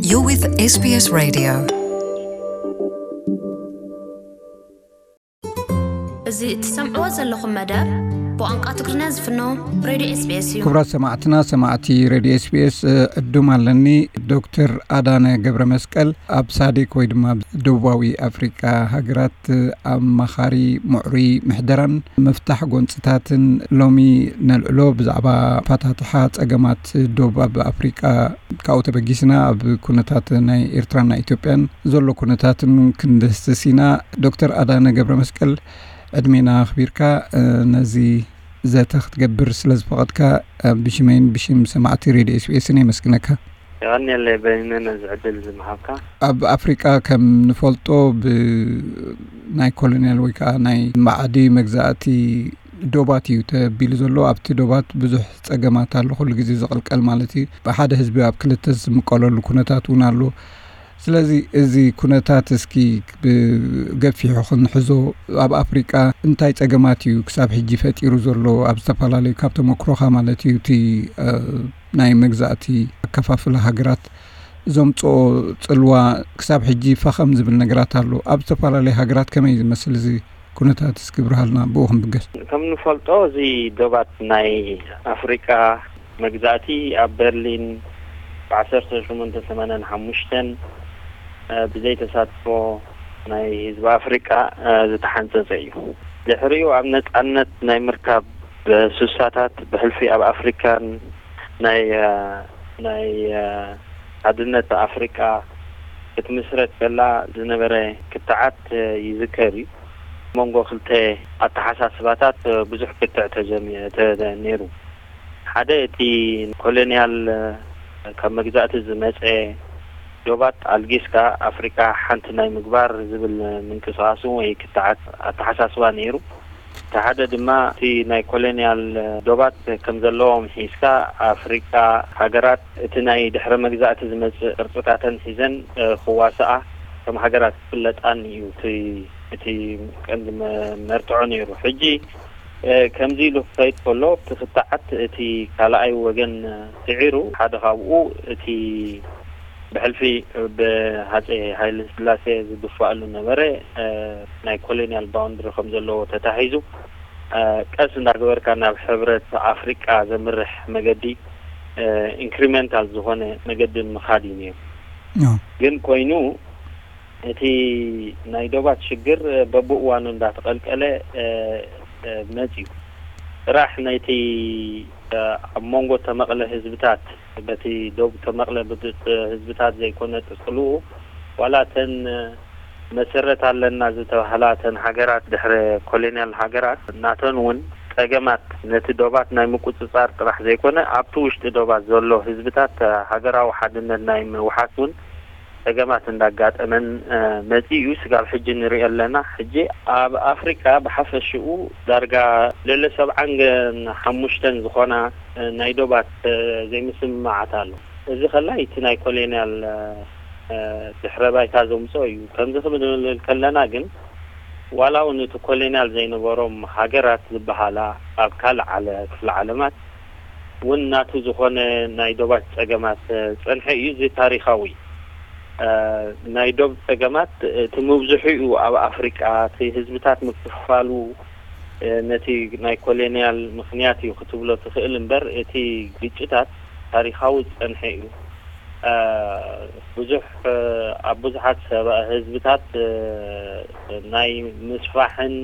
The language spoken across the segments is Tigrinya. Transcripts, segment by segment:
You're with S B S Radio. እዚ እትሰምዕዎ ዘለኹም መደብ ብቋንቋ ትግርኛ ዝፍኖ ሬድዮ ኤስቢኤስ እዩ። ክቡራት ሰማዕትና፣ ሰማዕቲ ሬድዮ ኤስቢኤስ፣ ዕዱም ኣለኒ። ዶክተር ኣዳነ ገብረ መስቀል ኣብ ሳዴክ ወይ ድማ ደቡባዊ ኣፍሪቃ ሃገራት ኣማኻሪ ምዕሩይ ምሕደራን ምፍታሕ ጎንፅታትን። ሎሚ ነልዕሎ ብዛዕባ ኣፋታትሓ ፀገማት ዶብ ኣብ ኣፍሪቃ ካብኡ ተበጊስና ኣብ ኩነታት ናይ ኤርትራን ናይ ኢትዮጵያን ዘሎ ኩነታትን ክንድህስስ ኢና። ዶክተር ኣዳነ ገብረ መስቀል፣ ዕድሜና ኣኽቢርካ ነዚ ዘተ ክትገብር ስለ ዝፈቐድካ ብሽመይን ብሽም ሰማዕቲ ሬድዮ ኤስቢኤስን የመስግነካ። የቐንየለይ በይነ ነዚ ዕድል ዝምሃብካ። ኣብ ኣፍሪቃ ከም ንፈልጦ ብናይ ኮሎኒያል ወይ ከዓ ናይ ማዕዲ መግዛእቲ ዶባት እዩ ተቢሉ ዘሎ። ኣብቲ ዶባት ብዙሕ ፀገማት ኣሎ፣ ኩሉ ግዜ ዝቕልቀል ማለት እዩ። ብሓደ ህዝቢ ኣብ ክልተ ዝምቀለሉ ኩነታት እውን ኣሎ። ስለዚ እዚ ኩነታት እስኪ ብገፊሑ ክንሕዞ፣ ኣብ ኣፍሪቃ እንታይ ፀገማት እዩ ክሳብ ሕጂ ፈጢሩ ዘሎ? ኣብ ዝተፈላለዩ ካብ ተመክሮኻ ማለት እዩ፣ እቲ ናይ መግዛእቲ ኣከፋፍላ ሃገራት ዘምፅኦ ፅልዋ ክሳብ ሕጂ ፈኸም ዝብል ነገራት ኣሎ። ኣብ ዝተፈላለዩ ሃገራት ከመይ ዝመስል እዚ ኩነታት እስኪ ብርሃልና ብኡ ክንብገስ። ከም ንፈልጦ እዚ ዶባት ናይ ኣፍሪቃ መግዛእቲ ኣብ በርሊን ብ ዓሰርተ ሸሞንተ ሰማንያን ሓሙሽተን ብዘይተሳትፎ ናይ ህዝቢ ኣፍሪቃ ዝተሓንፀፀ እዩ። ድሕሪኡ ኣብ ነፃነት ናይ ምርካብ ብሱሳታት ብሕልፊ ኣብ ኣፍሪካን ናይ ናይ ሓድነት ኣፍሪቃ ክትምስረት ከላ ዝነበረ ክትዓት ይዝከር እዩ። መንጎ ክልተ ኣተሓሳስባታት ብዙሕ ክትዕ ተጀሚ ነይሩ። ሓደ እቲ ኮሎኒያል ካብ መግዛእቲ ዝመፀ ዶባት ኣልጊስካ ኣፍሪካ ሓንቲ ናይ ምግባር ዝብል ምንቅስቃስ ወይ ክትዓት ኣተሓሳስባ ነይሩ። እቲ ሓደ ድማ እቲ ናይ ኮሎኒያል ዶባት ከም ዘለዎም ሒዝካ ኣፍሪካ ሃገራት እቲ ናይ ድሕረ መግዛእቲ ዝመፅእ ቅርፅታተን ሒዘን ክዋስኣ ከም ሃገራት ክፍለጣን እዩ እቲ ቀንዲ መርትዖ ነይሩ። ሕጂ ከምዚ ኢሉ ክኸይድ ከሎ እቲ ክትዓት እቲ ካልኣይ ወገን ስዒሩ ሓደ ካብኡ እቲ ብሕልፊ ብሃፀይ ሃይለ ስላሴ ዝድፋኣሉ ነበረ ናይ ኮሎኒያል ባውንድሪ ከም ዘለዎ ተታሒዙ ቀስ እንዳገበርካ ናብ ሕብረት ኣፍሪቃ ዘምርሕ መገዲ ኢንክሪመንታል ዝኾነ መገዲ ምኻድ እዩ ነይሩ። ግን ኮይኑ እቲ ናይ ዶባት ሽግር በብእዋኑ እንዳተቐልቀለ መፅዩ ጥራሕ ነቲ ኣብ መንጎ ተመቕለ ህዝብታት በቲ ዶብ ተመቕለ ህዝብታት ዘይኮነ ጥቅልኡ ዋላ ተን መሰረት ኣለና ዝተባህላ ተን ሃገራት ድሕረ ኮሎኒያል ሃገራት ናተን እውን ጸገማት ነቲ ዶባት ናይ ምቁጽጻር ጥራሕ ዘይኮነ ኣብቲ ውሽጢ ዶባት ዘሎ ህዝብታት ሃገራዊ ሓድነት ናይ ምውሓስ እውን ጸገማት እንዳጋጠመን መጺኡ እዩ። ስጋብ ሕጂ ንሪኦ ኣለና። ሕጂ ኣብ ኣፍሪቃ ብሓፈሽኡ ዳርጋ ልዕሊ ሰብዓን ሓሙሽተን ዝኾና ናይ ዶባት ዘይምስምማዓት ኣሎ። እዚ ከላይ እቲ ናይ ኮሎኒያል ድሕረ ባይታ ዘምፅኦ እዩ። ከምዚ ክንብል ከለና ግን ዋላ እውን እቲ ኮሎኒያል ዘይነበሮም ሃገራት ዝበሃላ ኣብ ካልእ ዓለ ክፍለ ዓለማት እውን ናቱ ዝኾነ ናይ ዶባት ፀገማት ፀንሐ እዩ። እዚ ታሪካዊ ናይ ዶብ ፀገማት እቲ ምብዝሑ እዩ ኣብ ኣፍሪቃ እቲ ህዝብታት ምክፍፋሉ ነቲ ናይ ኮሎኒያል ምኽንያት እዩ ክትብሎ ትኽእል እምበር እቲ ግጭታት ታሪኻዊ ዝፀንሐ እዩ። ብዙሕ ኣብ ብዙሓት ህዝብታት ናይ ምስፋሕን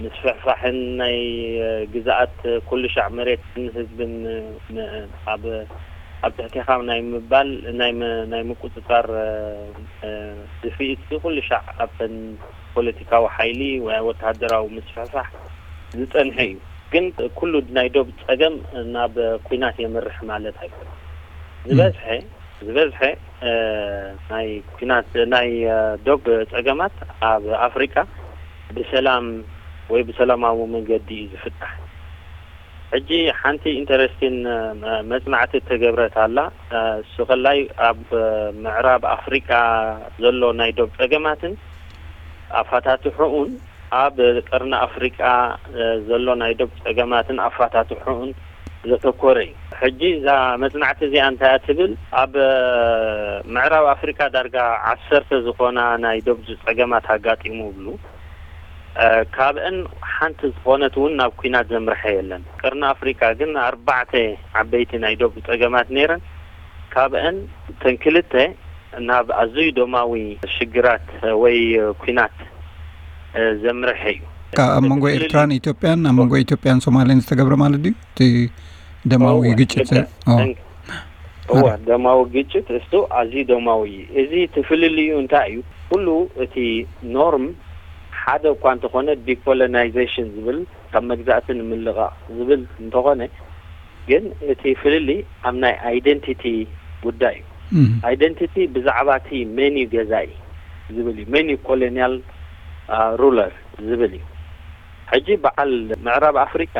ምስፍሕፋሕን ናይ ግዝኣት ኩሉ ሻዕ መሬትን ህዝብን ኣብ ኣብ ትሕቴኻ ናይ ምባል ናይ ምቁፅፃር ድፍኢት ኩሉ ሻዕ ኣብተን ፖለቲካዊ ሓይሊ ወይ ወተሃደራዊ ምስፍሕፋሕ ዝፀንሐ እዩ። ግን ኩሉ ናይ ዶብ ፀገም ናብ ኲናት የምርሕ ማለት ኣይኮነን። ዝበዝሐ ዝበዝሐ ናይ ኲናት ናይ ዶብ ፀገማት ኣብ ኣፍሪቃ ብሰላም ወይ ብሰላማዊ መንገዲ እዩ ዝፍታሕ። ሕጂ ሓንቲ ኢንተረስቲን መፅናዕቲ እተገብረት ኣላ። እሱ ከላይ ኣብ ምዕራብ ኣፍሪቃ ዘሎ ናይ ዶብ ፀገማትን ኣፋታትሑኡን ኣብ ቀርኒ ኣፍሪቃ ዘሎ ናይ ዶብ ፀገማትን ኣፋታትሑኡን ዘተኮረ እዩ። ሕጂ እዛ መፅናዕቲ እዚኣ እንታይ እያ ትብል? ኣብ ምዕራብ ኣፍሪካ ዳርጋ ዓሰርተ ዝኾና ናይ ዶብ ጸገማት ኣጋጢሙ ይብሉ። እ፣ ካብአን ሓንቲ ዝኾነት እውን ናብ ኲናት ዘምርሐ የለን። ቀርኒ ኣፍሪካ ግን ኣርባዕተ ዓበይቲ ናይ ዶብ ጸገማት ነይረን። ካብአን እተን ክልተ ናብ ኣዝዩ ደማዊ ሽግራት ወይ ኲናት፣ እ፣ ዘምርሐ እዩ። ካብ ኣብ መንጎ እቲ ፍልልይ ኤርትራን ኢትዮጵያን፣ ኣብ መንጎ ኢትዮጵያን ሶማሌን ዝተገብረ ማለት ድዩ? እቲ ደማዊ እወ፣ ግጭት? ልክዕ። ኦ። እን-፣ እወ፣ ኣረ። ደማዊ ግጭት እሱ ኣዝዩ ደማዊ እዩ። እዚ እቲ ፍልልዩ እንታይ እዩ? ኩሉ እቲ ኖርም ሓደ እኳ እንተኾነ፣ ዲኮሎናይዜሽን ዝብል፣ ካብ መግዛእቲ ንምልቓቕ ዝብል እንተኾነ፣ ግን እቲ ፍልልይ ኣብ ናይ ኣይደንቲቲ ጉዳይ እዩ። እም። ኣይደንቲቲ ብዛዕባ እቲ መን እዩ ገዛኢ ዝብል እዩ። መን እዩ ኮሎኒያል፣ አ፣ ሩለር ዝብል እዩ። ሕጂ በዓል ምዕራብ ኣፍሪቃ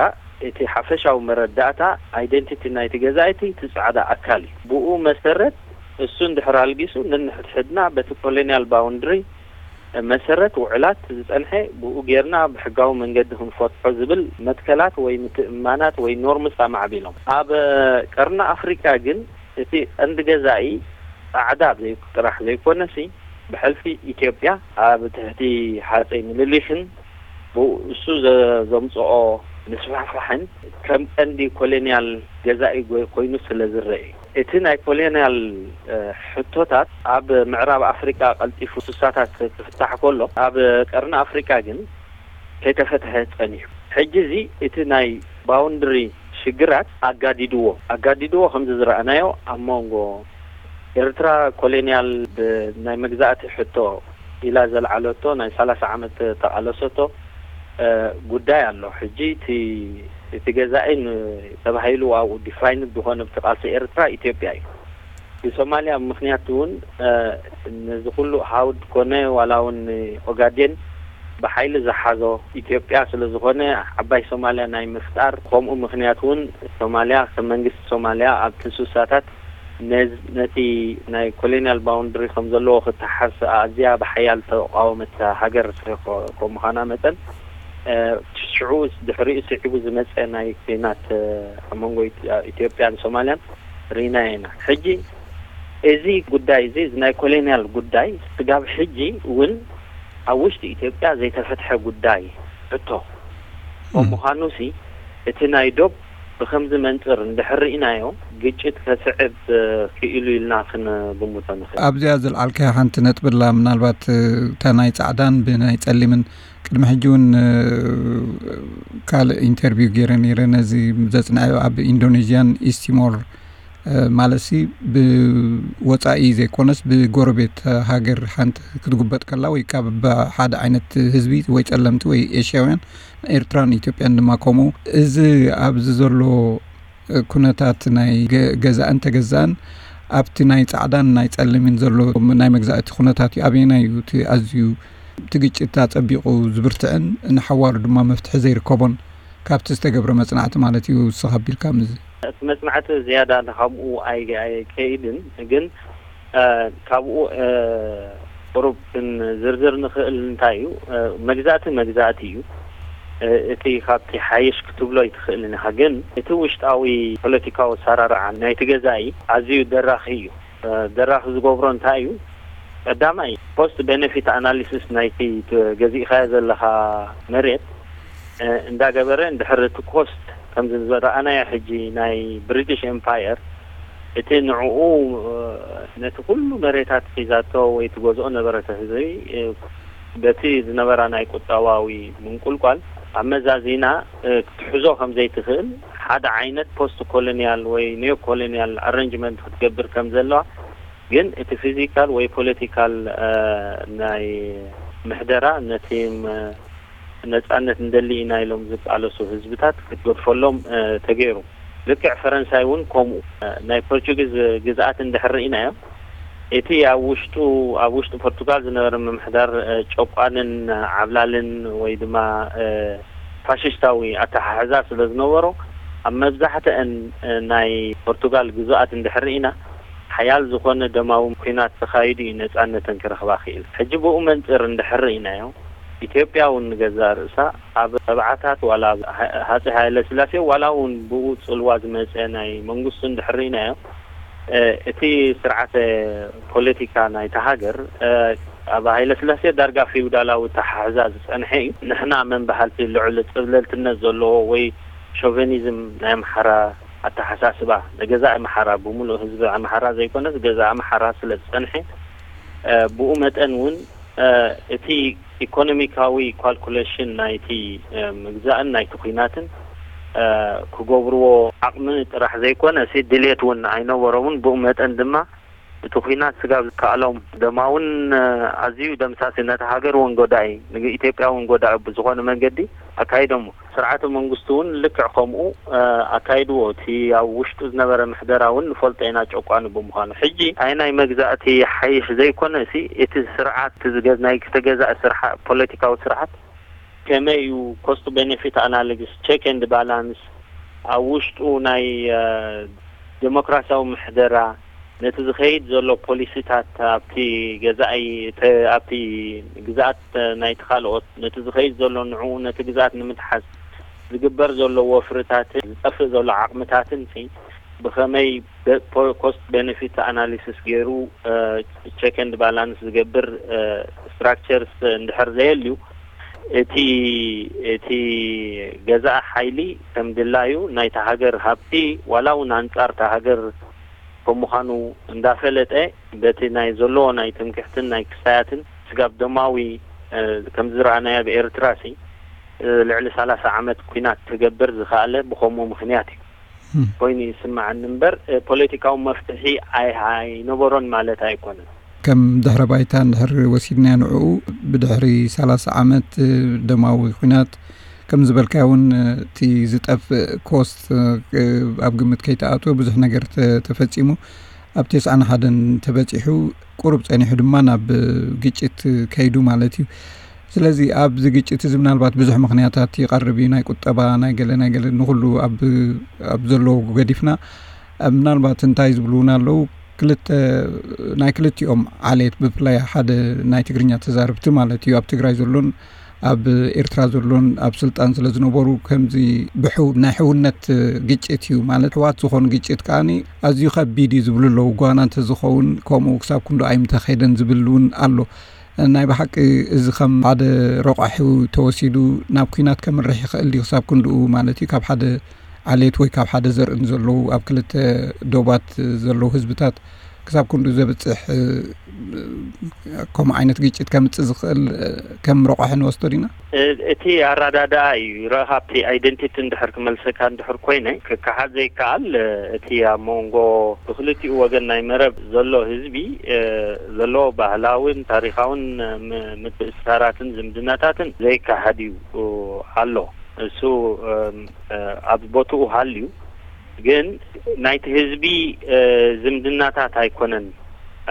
እቲ ሓፈሻዊ መረዳእታ ኣይደንቲቲ ናይቲ ገዛኢ እቲ ጻዕዳ ኣካል እዩ። ብኡ መሰረት እሱ እንድሕር ኣልጊሱ ነንሕድሕድና በቲ ኮሎኒያል ባውንድሪ መሰረት ውዕላት ዝጸንሐ ብኡ ጌርና ብሕጋዊ መንገዲ ክንፈትሖ ዝብል መትከላት ወይ ምትእምማናት ወይ ኖርምስ ኣማዕቢሎም። ኣብ ቀርኒ ኣፍሪቃ ግን እቲ ቀንዲ ገዛኢ ጻዕዳ ዘይ-፣ ጥራሕ ዘይኮነሲ ብሕልፊ ኢትዮጵያ ኣብ ትሕቲ ሃጸይ ምልሊኽን ብኡ እሱ ዘ-፣ ዘምጽኦ ምስፋሕፋሕን ከም ቀንዲ ኮሎኒያል ገዛኢ ጎይ-፣ ኮይኑ ስለ ዝረአ እዩ። እቲ ናይ ኮሎኒያል፣ እ፣ ሕቶታት ኣብ ምዕራብ ኣፍሪቃ ቀልጢፉ ስሳታት ክፍታሕ ከሎ፣ ኣብ ቀርኒ ኣፍሪቃ ግን ከይተፈትሐ ጸኒሑ። ሕጂ እዚ እቲ ናይ ባውንድሪ ሽግራት ኣጋዲድዎ፣ ኣጋዲድዎ ከምዚ ዝረኣናዮ ኣብ መንጎ ኤርትራ ኮሎኒያል ብ-፣ ናይ መግዛእቲ ሕቶ ኢላ ዘልዓለቶ ናይ ሰላሳ ዓመት ተቓለሰቶ፣ እ፣ ጉዳይ ኣሎ። ሕጂ እቲ፣ እቲ ገዛኢ ን-፣ ተባሂሉ ኣብኡ ዲፋይንድ ዝኾነ ብቲ ቃልሲ ኤርትራ ኢትዮጵያ እዩ። ብሶማልያ ምኽንያት እውን፣ እ፣ ነዚ ኩሉ ሃውድ ኮነ ዋላ እውን ኦጋዴን ብሓይሊ ዝሓዞ ኢትዮጵያ ስለ ዝኾነ ዓባይ ሶማልያ ናይ ምፍጣር፣ ከምኡ ምኽንያት እውን ሶማልያ ከም መንግስቲ ሶማልያ ኣብቲ ስሳታት ነዝ-፣ ነቲ ናይ ኮሎኒያል ባውንድሪ ከም ዘለዎ ክተሓዝ ኣዝያ ብሓያል ተቃወመት ሃገር ከ-፣ ከም ምዃና መጠን፣ እ፣ ሽዑ ድሕሪኡ ስዒቡ ዝመጸ ናይ ኲናት፣ እ፣ ኣብ መንጎ ኢት-፣ ኢትዮጵያን ሶማልያን ርኢና ኢና። ሕጂ እዚ ጉዳይ እዚ፣ እዚ ናይ ኮሎኒያል ጉዳይ ስጋብ ሕጂ እውን ኣብ ውሽጢ ኢትዮጵያ ዘይተፈትሐ ጉዳይ ሕቶ እም። ብምዃኑሲ፣ እቲ ናይ ዶብ ብኸምዚ መንጽር እንድሕር ርኢናዮ፣ ግጭት ከስዕብ፣ እ፣ ክኢሉ ኢልና ክንግምቶ ንኽእል። ኣብዚኣ ዘልዓልካያ ሓንቲ ነጥቢ ኣላ፣ ምናልባት፣ እ፣ እታ ናይ ጻዕዳን ብናይ ጸሊምን ቅድሚ ሕጂ እውን፣ እ፣ ካልእ ኢንተርቪው ገይረ ነይረ ነዚ ዘጽንዐዮ ኣብ ኢንዶኔዥያን ኢስቲሞር፣ እ፣ ማለትሲ ብወጻኢ ዘይኮነስ ብጎረቤት ሃገር ሓንቲ ክትጉበጥ ከላ ወይ ካብ ሓደ ዓይነት ህዝቢ ወይ ጸለምቲ ወይ ኤሽያውያን ኤርትራን ኢትዮጵያን ድማ ከምኡ። እዚ ኣብዚ ዘሎ ኩነታት ናይ ገ-፣ ገዛእን ተገዛእን ኣብቲ ናይ ጻዕዳን ናይ ጸሊምን ዘሎ ናይ መግዛእቲ ኩነታት እዩ። ኣበየናይ እዩ እቲ ኣዝዩ እቲ ግጭት ኣጸቢቑ ዝብርትዕን ንሓዋሩ ድማ መፍትሒ ዘይርከቦን ካብቲ ዝተገብረ መጽናዕቲ ማለት እዩ። ንስኻ ኣቢልካ ምስዚ እቲ መጽናዕቲ ዝያዳ ንካምኡ ኣይ-፣ ኣይከይድን፣ ግን፣ እ፣ ካብኡ፣ እ፣ ቁሩብ ክንዝርዝር ንኽእል እንታይ እዩ፣ እ፣ መግዛእቲ መግዛእቲ እዩ። እ፣ እቲ ካብቲ ሓይሽ ክትብሎ ኣይትኽእልን ኢኻ፣ ግን እቲ ውሽጣዊ ፖለቲካዊ ኣሰራርዓ ናይቲ ገዛኢ ኣዝዩ ደራኺ እዩ። እ፣ ደራኺ ዝገብሮ እንታይ እዩ? ቀዳማይ፣ ኮስት ቤነፊት ኣናሊሲስ ናይቲ ት-፣ ገዚእኻዮ ዘለኻ መሬት፣ እ፣ እንዳገበረ፣ እንድሕር እቲ ኮስት ከምዚ ዝረኣናዮ ሕጂ ናይ ብሪቲሽ ኤምፓየር፣ እቲ ንዕኡ፣ እ፣ ነቲ ኩሉ መሬታት ሒዛቶ ወይ ትገዝኦ ነበረተ ህዝቢ፣ እ፣ በቲ ዝነበራ ናይ ቁጠባዊ ምንቁልቋል ኣመዛዚና፣ እ፣ ክትሕዞ ከም ዘይትኽእል፣ ሓደ ዓይነት ፖስት ኮሎኒያል ወይ ኒዮ ኮሎኒያል ኣረንጅመንት ክትገብር ከም ዘለዋ፣ ግን እቲ ፊዚካል ወይ ፖለቲካል፣ እ፣ ናይ ምሕደራ ነቲ ም-፣ ነጻነት እንደሊ ኢና ኢሎም ዝቃለሱ ህዝብታት ክትገድፈሎም፣ እ፣ ተገይሩ። ልክዕ ፈረንሳይ እውን ከምኡ፣ እ፣ ናይ ፖርቹጊዝ ግዝኣት እንድሕር ርኢናዮ፣ እቲ ኣብ ውሽጡ፣ ኣብ ውሽጢ ፖርቱጋል ዝነበረ ምምሕዳር፣ እ፣ ጨቋንን ዓብላልን ወይ ድማ፣ እ፣ ፋሽስታዊ ኣተሓሕዛ ስለ ዝነበሮ፣ ኣብ መብዛሕትአን፣ እ፣ ናይ ፖርቱጋል ግዙኣት እንድሕር ርኢና፣ ሓያል ዝኾነ ደማዊ ኲናት ተኻይዱ እዩ ነጻነተን ክረኽባ ክኢል። ሕጂ ብኡ መንጽር እንድሕር ርኢናዮ፣ ኢትዮጵያ እውን ንገዛእ ርእሳ ኣብ ሰብዓታት ዋላ ኣብ ሃ-፣ ሃጸይ ሃይለ ስላሴ ዋላ እውን ብኡ ጽልዋ ዝመጸ ናይ መንግስቱ እንድሕር ርኢናዮ፣ እቲ ስርዓተ ፖለቲካ ናይታ ሃገር ኣብ ሃይለ ስላሴ ዳርጋ ፊውዳላዊ ኣተሓሕዛ ዝጸንሐ እዩ። ንሕና መን በሃልቲ፣ ልዑል ጽብለልትነት ዘለዎ ወይ ሾቨኒዝም ናይ ኣምሓራ ኣተሓሳስባ፣ ንገዛእ ኣምሓራ፣ ብምሉእ ህዝቢ ኣምሓራ ዘይኮነስ ገዛእ ኣምሓራ ስለ ዝጸንሐ፣ ብኡ መጠን እውን እቲ ኢኮኖሚካዊ ካልኩሌሽን ናይቲ ምግዛእን ናይቲ ኲናትን ክገብርዎ ዓቕሚ ጥራሕ ዘይኮነ፣ ድሌት እውን ኣይነበሮምን። ብኡ መጠን ድማ እቲ ኲናት ስጋብ ዝከኣሎም ደማ እውን ኣዝዩ ደምሳሲ፣ ነቲ ሃገር እውን ጎዳኢ፣ ንኢትዮጵያ እውን ጎዳኢ ብዝኾነ መንገዲ ኣካይዶሞ። ስርዓተ መንግስቲ እውን ልክዕ ከምኡ ኣካይድዎ። እቲ ኣብ ውሽጡ ዝነበረ ምሕደራ እውን ንፈልጦ ኢና፣ ጨቋኒ ብምዃኑ። ሕጂ ኣይ ናይ መግዛእቲ ሓይሽ ዘይኮነ፣ እቲ ስርዓት፣ ናይ ተገዛኢ ስርሓ ፖለቲካዊ ስርዓት ከመይ እዩ ኮስት ቤኔፊት ኣናሊሲስ፣ ቼክ ኤንድ ባላንስ፣ ኣብ ውሽጡ ናይ ዴሞክራሲያዊ ምሕደራ፣ ነቲ ዝኸይድ ዘሎ ፖሊሲታት ኣብቲ ገዛኢ፣ ኣብቲ ግዛኣት ናይቲ ካልኦት፣ ነቲ ዝኸይድ ዘሎ ንዕኡ፣ ነቲ ግዛኣት ንምትሓዝ ዝግበር ዘሎ ወፍርታትን ዝጠፍእ ዘሎ ዓቕምታትን ብኸመይ ኮስት ቤኔፊት ኣናሊሲስ ገይሩ ቸክ ኤንድ ባላንስ ዝገብር ስትራክቸርስ እንድሕር ዘየልዩ፣ እቲ እቲ ገዛኢ ሓይሊ ከም ድላዩ ናይታ ሃገር ሃብቲ ዋላ እውን ኣንጻር እታ ሃገር ከም ምዃኑ እንዳፈለጠ፣ በቲ ናይ ዘለዎ ናይ ትምክሕትን ናይ ክስታያትን ስጋብ ደማዊ ከም ዝረኣናዮ ኣብ ኤርትራ ሲ ልዕሊ ሰላሳ ዓመት ኲናት ክገብር ዝኸኣለ ብኸምኡ ምኽንያት እዩ ኮይኑ ይስምዓኒ እምበር፣ ፖለቲካዊ መፍትሒ ኣይነበሮን ማለት ኣይኮነን። ከም ድሕረ ባይታ እንድሕር ወሲድናዮ ንዕኡ፣ ብድሕሪ ሰላሳ ዓመት ደማዊ ኲናት፣ ከም ዝበልካዮ እውን እቲ ዝጠፍእ ኮስት ኣብ ግምት ከይተኣትወ ብዙሕ ነገር ተፈጺሙ። ኣብ ተስዓን ሓደን ተበጺሑ፣ ቁሩብ ጸኒሑ ድማ ናብ ግጭት ከይዱ ማለት እዩ። ስለዚ ኣብዚ ግጭት እዚ ምናልባት ብዙሕ ምኽንያታት ይቐርብ እዩ። ናይ ቁጠባ፣ ናይ ገለ፣ ናይ ገለ፣ ንኹሉ ኣብ፣ ኣብ ዘለዎ ገዲፍና፣ ምናልባት እንታይ ዝብሉ እውን ኣለዉ፣ ክልተ፣ ናይ ክልቲኦም ዓሌት፣ ብፍላይ ሓደ ናይ ትግርኛ ተዛረብቲ ማለት እዩ፣ ኣብ ትግራይ ዘሎን ኣብ ኤርትራ ዘሎን ኣብ ስልጣን ስለ ዝነበሩ፣ ከምዚ ብሕው-፣ ናይ ሕውነት ግጭት እዩ ማለት፣ ሕዋት ዝኾኑ ግጭት ከኣ ኣዝዩ ከቢድ እዩ ዝብሉ ኣለዉ። ጓና እንተዝኸውን ከምኡ ክሳብ ክንዱ ኣይምተኸደን ዝብል እውን ኣሎ። ናይ ብሓቂ እዚ ከም ሓደ ረቋሒ ተወሲዱ ናብ ኲናት ከምርሕ ይኽእል ድዩ ክሳብ ክንድኡ ማለት እዩ? ካብ ሓደ ዓሌት ወይ ካብ ሓደ ዘርኢ ንዘለዉ ኣብ ክልተ ዶባት ዘለዉ ህዝብታት ክሳብ ክንድኡ ዘብጽሕ ከምኡ ዓይነት ግጭት ከምጽእ ዝኽእል ከም ረቋሒ ንወስዶ ዲና? እቲ ኣረዳድኣ እዩ። ረ-፣ ካብቲ ኣይደንቲቲ እንድሕር ክመልሰካ እንድሕር ኮይነ፣ ክከሓድ ዘይከኣል፣ እቲ ኣብ መንጎ ብክልቲኡ ወገን ናይ መረብ ዘሎ ህዝቢ፣ እ፣ ዘለዎ ባህላውን ታሪኻውን፣ እ፣ ም-፣ ምትእስሳራትን ዝምድናታትን ዘይከሓድ እዩ፣ እ፣ ኣሎ። እሱ፣ እም፣ እ፣ ኣብ ቦትኡ ሃልዩ፣ ግን ናይቲ ህዝቢ፣ እ፣ ዝምድናታት ኣይኮነን፣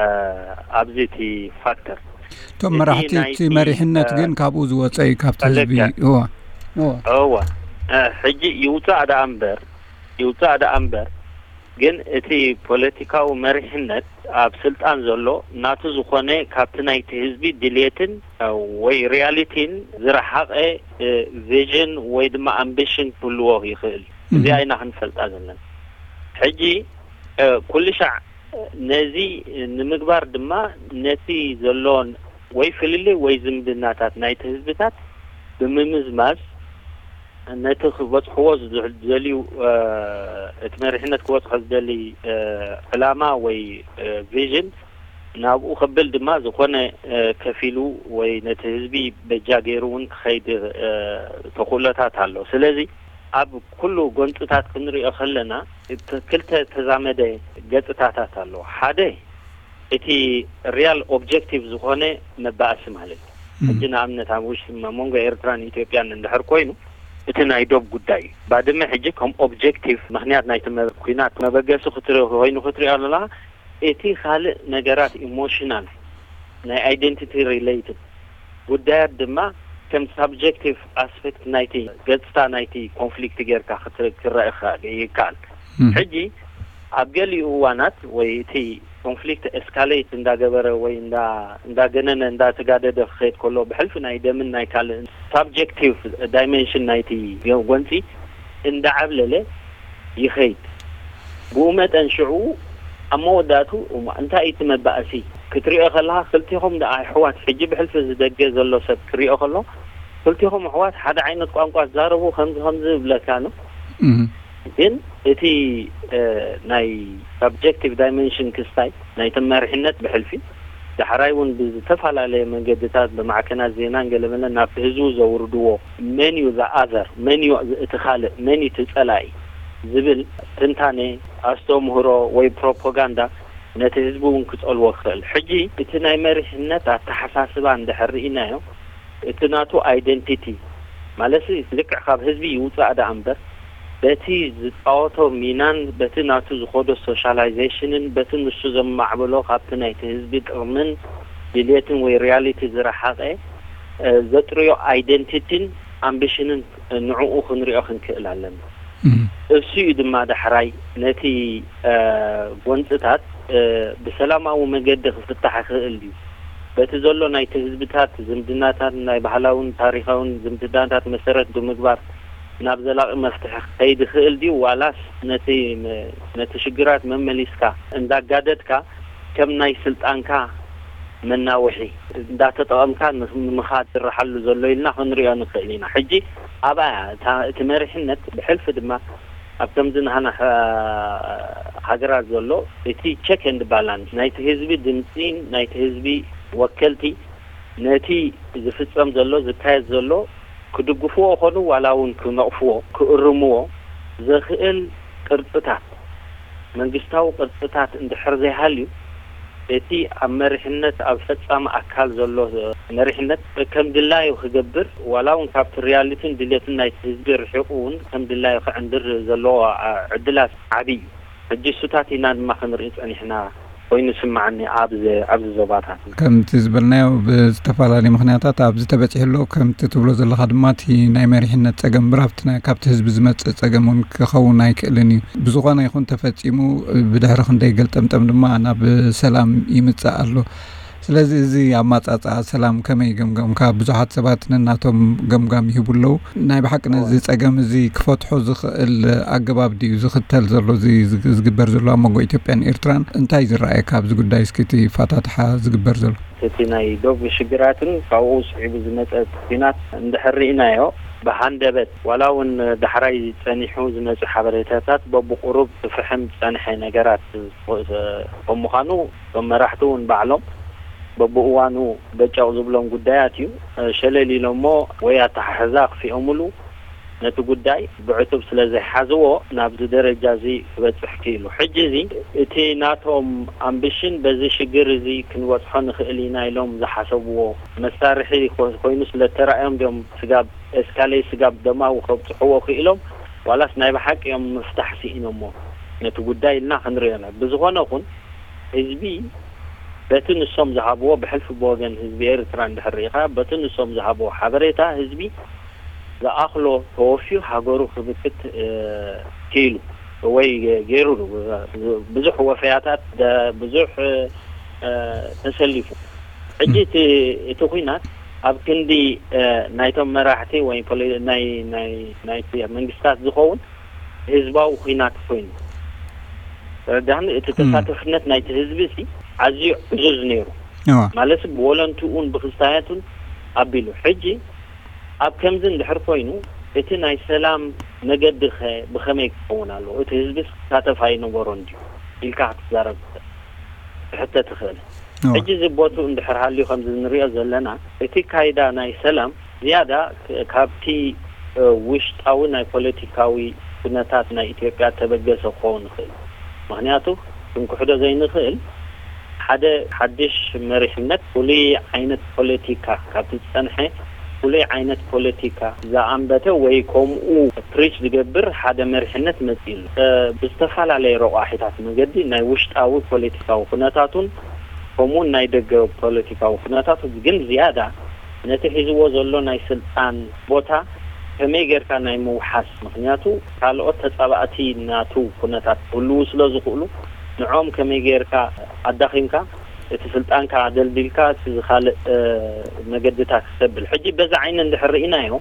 እ፣ ኣብዚ እቲ ፋክተር። እቶም እቲ መራሕቲ፣ ናይቲ፣ እቲ መሪሕነት እ፣ ግን ካብኡ ዝወጸ እዩ፣ ካብቲ ህዝቢ። ፈለጋ። እዋ፣ እዋ። እዋ። እ፣ ሕጂ ይውጻእ ደኣ እምበር፣ ይውጻእ ደኣ እምበር፣ ግን እቲ ፖለቲካዊ መሪሕነት ኣብ ስልጣን ዘሎ ናቱ ዝኾነ ካብቲ ናይቲ ህዝቢ ድልየትን፣ እ፣ ወይ ሪያሊቲን ዝረሓቐ፣ እ፣ ቪዥን ወይ ድማ ኣምቢሽን ክህልዎ ይኽእል። እዚኣ እህ። ኢና ክንፈልጣ ዘለና። ሕጂ፣ እ፣ ኩሉ ሻዕ ነዚ ንምግባር ድማ ነቲ ዘሎን ወይ ፍልልይ ወይ ዝምድናታት ናይቲ ህዝብታት ብምምዝማዝ፣ ነቲ ክበጽሕዎ ዝደል-፣ ዝደልዩ፣ እ፣ እቲ መሪሕነት ክበጽሖ ዝደሊ፣ እ፣ ዕላማ ወይ፣ እ፣ ቪዥን ናብኡ ከብል ድማ ዝኾነ፣ እ፣ ከፊሉ ወይ ነቲ ህዝቢ በጃ ገይሩ እውን ክኸይድ፣ እ፣ ተኽእሎታት ኣሎ። ስለዚ ኣብ ኩሉ ጎንጽታት ክንሪኦ ከለና፣ እቲ ክልተ ተዛመደ ገጽታታት ኣለዎ። ሓደ፣ እቲ ሪያል ኦብጀክቲቭ ዝኾነ መባእሲ ማለት እዩ። እም። ሕጂ ንኣብነት ኣብ ውሽጢ መ-፣ መንጎ ኤርትራን ኢትዮጵያን እንድሕር ኮይኑ፣ እቲ ናይ ዶብ ጉዳይ እዩ። ባድመ ሕጂ ከም ኦብጀክቲቭ ምኽንያት ናይቲ መ-፣ ኲናት መበገሲ ክትሪ-፣ ኮይኑ ክትሪኦ ኣለኻ። እቲ ካልእ ነገራት ኢሞሽናል፣ ናይ ኣይደንቲቲ ሪሌትድ ጉዳያት ድማ ከም ሳብጀክቲቭ ኣስፔክት ናይቲ ገጽታ ናይቲ ኮንፍሊክት ጌርካ ክትር-፣ ክረአ ይኸ-፣ ይከኣል። እም። ሕጂ ኣብ ገሊኡ እዋናት ወይ እቲ ኮንፍሊክት ኤስካሌት እንዳገበረ ወይ እንዳ-፣ እንዳገነነ እንዳተጋደደ ክኸይድ ከሎ ብሕልፊ ናይ ደምን ናይ ካልእ ሳብጀክቲቭ ዳይሜንሽን ናይቲ ጎንጺ እንዳዓብለለ ይኸይድ። ብኡ መጠን ሽዑ ኣብ መወዳእቱ እሞ እንታይ እዩ እቲ መባእሲ? ክትሪኦ ከለኻ ክልቲኹም ደኣ ኣሕዋት፣ ሕጂ ብሕልፊ እዚ ደገ ዘሎ ሰብ ክሪኦ ከሎ ክልቲኹም ኣሕዋት ሓደ ዓይነት ቋንቋ ትዛረቡ፣ ከምዚ ከምዚ ይብለካ ነው። እህ። ግን እቲ፣ እ፣ ናይ ሳብጀክቲቭ ዳይመንሽን ክስታይ ናይቲ መሪሕነት ብሕልፊ ዳሕራይ እውን ብዝተፈላለየ መንገድታት ብማዕከናት ዜናን ገለመለን ናብቲ ህዝቡ ዘውርድዎ፣ መን እዩ ዝኣዘር፣ መን እዩ እቲ ካልእ፣ መን እዩ እቲ ጸላኢ ዝብል ትንታኔ፣ ኣስተምህሮ ወይ ፕሮፓጋንዳ ነቲ ህዝቢ እውን ክጸልዎ ክኽእል። ሕጂ እቲ ናይ መሪሕነት ኣተሓሳስባ እንድሕር ርኢናዮ፣ እቲ ናቱ ኣይደንቲቲ ማለት ልክዕ ካብ ህዝቢ ይውጻእ ደኣ እምበር፣ በቲ ዝጻወቶ ሚናን በቲ ናቱ ዝኸዶ ሶሻላይዜሽንን በቲ ንሱ ዘማዕበሎ ካብቲ ናይቲ ህዝቢ ጥቕምን ድልየትን ወይ ሪያሊቲ ዝረሓቐ፣ እ፣ ዘጥርዮ ኣይደንቲቲን ኣምቢሽንን ንዕኡ ክንሪኦ ክንክእል ኣለና። እም። እሱ እዩ ድማ ዳሕራይ ነቲ፣ እ፣ ጎንጽታት፣ እ፣ ብሰላማዊ መገዲ ክፍታሕ ይኽእል ድዩ? በቲ ዘሎ ናይቲ ህዝብታት ዝምድናታት ናይ ባህላውን ታሪኻውን ዝምድናታት መሰረት ብምግባር ናብ ዘላቒ መፍትሒ ክኸይድ ይኽእል ድዩ? ዋላስ ነቲ መ-፣ ነቲ ሽግራት መመሊስካ እንዳጋደድካ ከም ናይ ስልጣንካ መናውሒ እንዳተጠቐምካ ንኽ-፣ ንምኻድ ዝረሓሉ ዘሎ ኢልና ክንሪኦ ንኽእል ኢና። ሕጂ ኣብኣ እታ፣ እቲ መሪሕነት ብሕልፊ ድማ ኣብ ከምዚ ናህና ሃ-፣ ሃገራት ዘሎ እቲ ቸክ ኤንድ ባላንስ ናይቲ ህዝቢ ድምፂን ናይቲ ህዝቢ ወከልቲ ነቲ ዝፍጸም ዘሎ ዝካየድ ዘሎ ክድግፍዎ ኾኑ ዋላ እውን ክነቕፍዎ፣ ክእርምዎ ዘኽእል ቅርጽታት፣ መንግስታዊ ቅርጽታት እንድሕር ዘይሃልዩ፣ እቲ ኣብ መሪሕነት፣ ኣብ ፈጻሚ ኣካል ዘሎ መሪሕነት ከም ድላዩ ክገብር፣ ዋላ እውን ካብቲ ሪያሊቲን ድሌትን ናይቲ ህዝቢ ርሒቑ እውን ከም ድላዩ ክዕንድር ዘለዎ፣ አ፣ ዕድላት ዓቢ እዩ። ሕጂ እሱታት ኢና ድማ ክንርኢ ጸኒሕና ኮይኑ ስምዓኒ ኣብዚ፣ ኣብዚ ዞባታት። ከምቲ ዝበልናዮ ብዝተፈላለዩ ምኽንያታት ኣብዚ ተበጺሑ ኣሎ። ከምቲ ትብሎ ዘለኻ ድማ እቲ ናይ መሪሕነት ጸገም እምበር ኣብቲ ናይ፣ ካብቲ ህዝቢ ዝመጽእ ጸገም እውን ክኸውን ኣይክእልን እዩ። ብዝኾነ ይኹን ተፈጺሙ ብድሕሪ ክንደይ ገልጠምጠም ድማ ናብ ሰላም ይምጻእ ኣሎ። ስለዚ እዚ ኣማጻጽኣ ሰላም ከመይ ገምገምካ? ብዙሓት ሰባት ነናቶም ገምጋም ይህቡ ኣለዉ። ናይ ብሓቂ ነዚ ጸገም እዚ ክፈትሖ ዝኽእል ኣገባብ ድዩ ዝኽተል ዘሎ፣ እዚ ዝግ-፣ ዝግበር ዘሎ ኣብ መንጎ ኢትዮጵያን ኤርትራን? እንታይ ዝረኣየካ ኣብዚ ጉዳይ? እስኪ እቲ ፋታትሓ ዝግበር ዘሎ። እቲ ናይ ዶብ ሽግራትን ካብኡ ስዒቡ ዝመጸ ኲናት እንድሕር ርኢናዮ፣ ብሃንደበት ዋላ እውን ዳሕራይ ጸኒሑ ዝመጽእ ሓበሬታታት በብቁሩብ ክፍሕም ዝጸንሐ ነገራት ከም ምዃኑ፣ እቶም መራሕቲ እውን ባዕሎም በብእዋኑ በጨቕ ዝብሎም ጉዳያት እዩ። ሸለል ኢሎሞ ወይ ኣተሓሕዛ ኣኽፊኦምሉ ነቲ ጉዳይ ብዕቱብ ስለ ዘይሓዝዎ ናብዚ ደረጃ እዚ ክበጽሕ ክኢሉ። ሕጂ እዚ እቲ ናቶም ኣምቢሽን በዚ ሽግር እዚ ክንበጽሖ ንኽእል ኢና ኢሎም ዝሓሰብዎ መሳርሒ ኮ-፣ ኮይኑ ስለ እተራእዮም ድዮም ስጋብ ኤስካሌ ስጋብ ደማዊ ከብጽሕዎ ክኢሎም ዋላስ ናይ ብሓቂ እዮም ምፍታሕ ስኢኖሞ ነቲ ጉዳይ ኢልና ክንሪኦ ኢና። ብዝኾነ ኹን ህዝቢ በቲ ንሶም ዝሃብዎ ብሕልፊ ብወገን ህዝቢ ኤርትራ እንድሕር ርኢኻ በቲ ንሶም ዝሃብዎ ሓበሬታ ህዝቢ ዝኣኽሎ ተወፍዩ ሃገሩ ክብክት፣ እ፣ ክኢሉ ወይ ገይሩ ብዙሕ ወፈያታት ደ-፣ ብዙሕ፣ እ፣ ተሰሊፉ። ሕጂ እቲ፣ እቲ ኲናት ኣብ ክንዲ፣ እ፣ ናይቶም መራሕቲ ወይ ፖሊ-፣ ናይ፣ ናይ፣ ናይቲ መንግስታት ዝኸውን ህዝባዊ ኲናት ኮይኑ። ተረዳህኒ? እቲ እም። ተሳተፍነት ናይቲ ህዝቢ ሲ ኣዝዩ ዕዙዝ ነይሩ። እዋ። ማለት ብወለንትኡን ብክስታያቱን ኣቢሉ። ሕጂ ኣብ ከምዚ እንድሕር ኮይኑ እቲ ናይ ሰላም መገዲ ኸ ብኸመይ ክኸውን ኣለዎ? እቲ ህዝብስ ክሳተፍ ኣይነበሮን ድዩ ኢልካ ክትዛረብ ትኽእል፣ ትሕተ ትኽእል። እዋ። ሕጂ እዚ ቦትኡ እንድሕር ሃልዩ ከምዚ እንሪኦ ዘለና እቲ ካይዳ ናይ ሰላም ዝያዳ ክ-፣ ካብቲ፣ እ፣ ውሽጣዊ ናይ ፖለቲካዊ ኩነታት ናይ ኢትዮጵያ ተበገሰ ክኸውን ይኽእል። ምኽንያቱ ክንክሕዶ ዘይንኽእል ሓደ ሓድሽ መሪሕነት ፍሉይ ዓይነት ፖለቲካ ካብቲ ዝጸንሐ ፍሉይ ዓይነት ፖለቲካ ዝኣንበተ ወይ ከምኡ ፕሪች ዝገብር ሓደ መሪሕነት መጺኡ ኣሎ። እ፣ ብዝተፈላለየ ረቋሒታት መገዲ ናይ ውሽጣዊ ፖለቲካዊ ኩነታቱን ከምኡውን ናይ ደገ ፖለቲካዊ ኩነታቱ ግን ዝያዳ ነቲ ሒዝዎ ዘሎ ናይ ስልጣን ቦታ ከመይ ጌርካ ናይ ምውሓስ፣ ምኽንያቱ ካልኦት ተጻባእቲ ናቱ ኩነታት ክህልዉ ስለ ዝኽእሉ ንዕኦም ከመይ ጌርካ ኣዳኺምካ እቲ ስልጣንካ ኣደልዲልካ እቲ ዝኻልእ፣ እ፣ መገድታት ክሰብል። ሕጂ በዚ ዓይኒ እንድሕር ርኢናዮ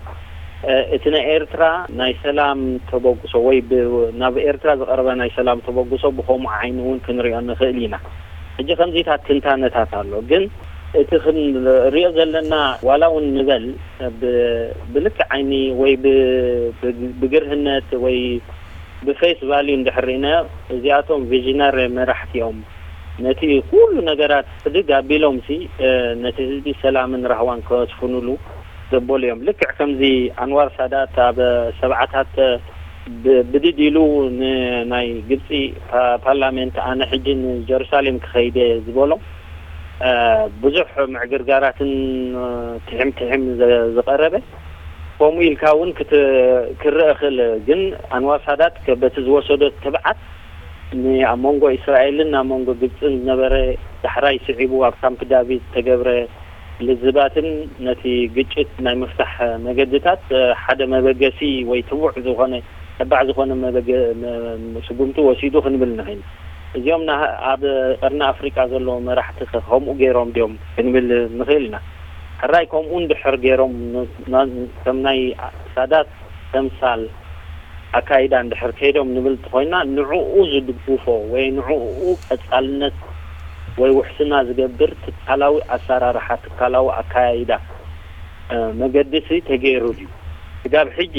እቲ ናይ ኤርትራ ናይ ሰላም ተበግሶ ወይ ናብ ኤርትራ ዝቐረበ ናይ ሰላም ተበግሶ ብኸምኡ ዓይኒ እውን ክንሪኦ ንኽእል ኢና። ሕጂ ከምዚታት ትንታነታት ኣሎ፣ ግን እቲ ክንሪኦ ዘለና ዋላ እውን ንበል ብልክዕ ዓይኒ ወይ ብግርህነት ወይ ብፌስ ቫልዩ እንድሕር ርኢናዮ፣ እዚኣቶም ቪዥነሪ መራሕቲ እዮም። ነቲ ኩሉ ነገራት ሕድግ ኣቢሎም ሲ ነቲ ህዝቢ ሰላምን ራህዋን ከስፍኑሉ ዘበሉ እዮም። ልክዕ ከምዚ ኣንዋር ሳዳት ኣብ ሰብዓታት ብድድ ኢሉ ንናይ ግብፂ ፓርላሜንት ኣነ ሕጂ ንጀሩሳሌም ክኸይደ ዝበሎ ብዙሕ ምዕግርጋራትን ትሕም ትሕም ዝቐረበ ከምኡ ኢልካ እውን ክርአ ክእል። ግን ኣንዋር ሳዳት በቲ ዝወሰዶ ትብዓት ንኣብ መንጎ እስራኤልን ኣብ መንጎ ግብፅን ዝነበረ ዳሕራይ ስዒቡ ኣብ ካምፕ ዳቪድ ዝተገብረ ልዝባትን ነቲ ግጭት ናይ ምፍታሕ መገድታት ሓደ መበገሲ ወይ ትቡዕ ዝኾነ ተባዕ ዝኾነ ስጉምቲ ወሲዱ ክንብል ንኽእል። እዚኦም ኣብ ቀርኒ ኣፍሪቃ ዘለዉ መራሕቲ ከምኡ ገይሮም ድዮም ክንብል ንኽእል ኢና። ሕራይ ከምኡ እንድሕር ገይሮም ከም ናይ ሳዳት ተምሳል ኣካይዳ እንድሕር ከይዶም ንብል እንተኾይና ንዕኡ ዝድግፎ ወይ ንዕኡ ቀጻልነት ወይ ውሕስና ዝገብር ትካላዊ ኣሰራርሓ ትካላዊ ኣካያይዳ መገዲ ሲ ተገይሩ ድዩ? ስጋብ ሕጂ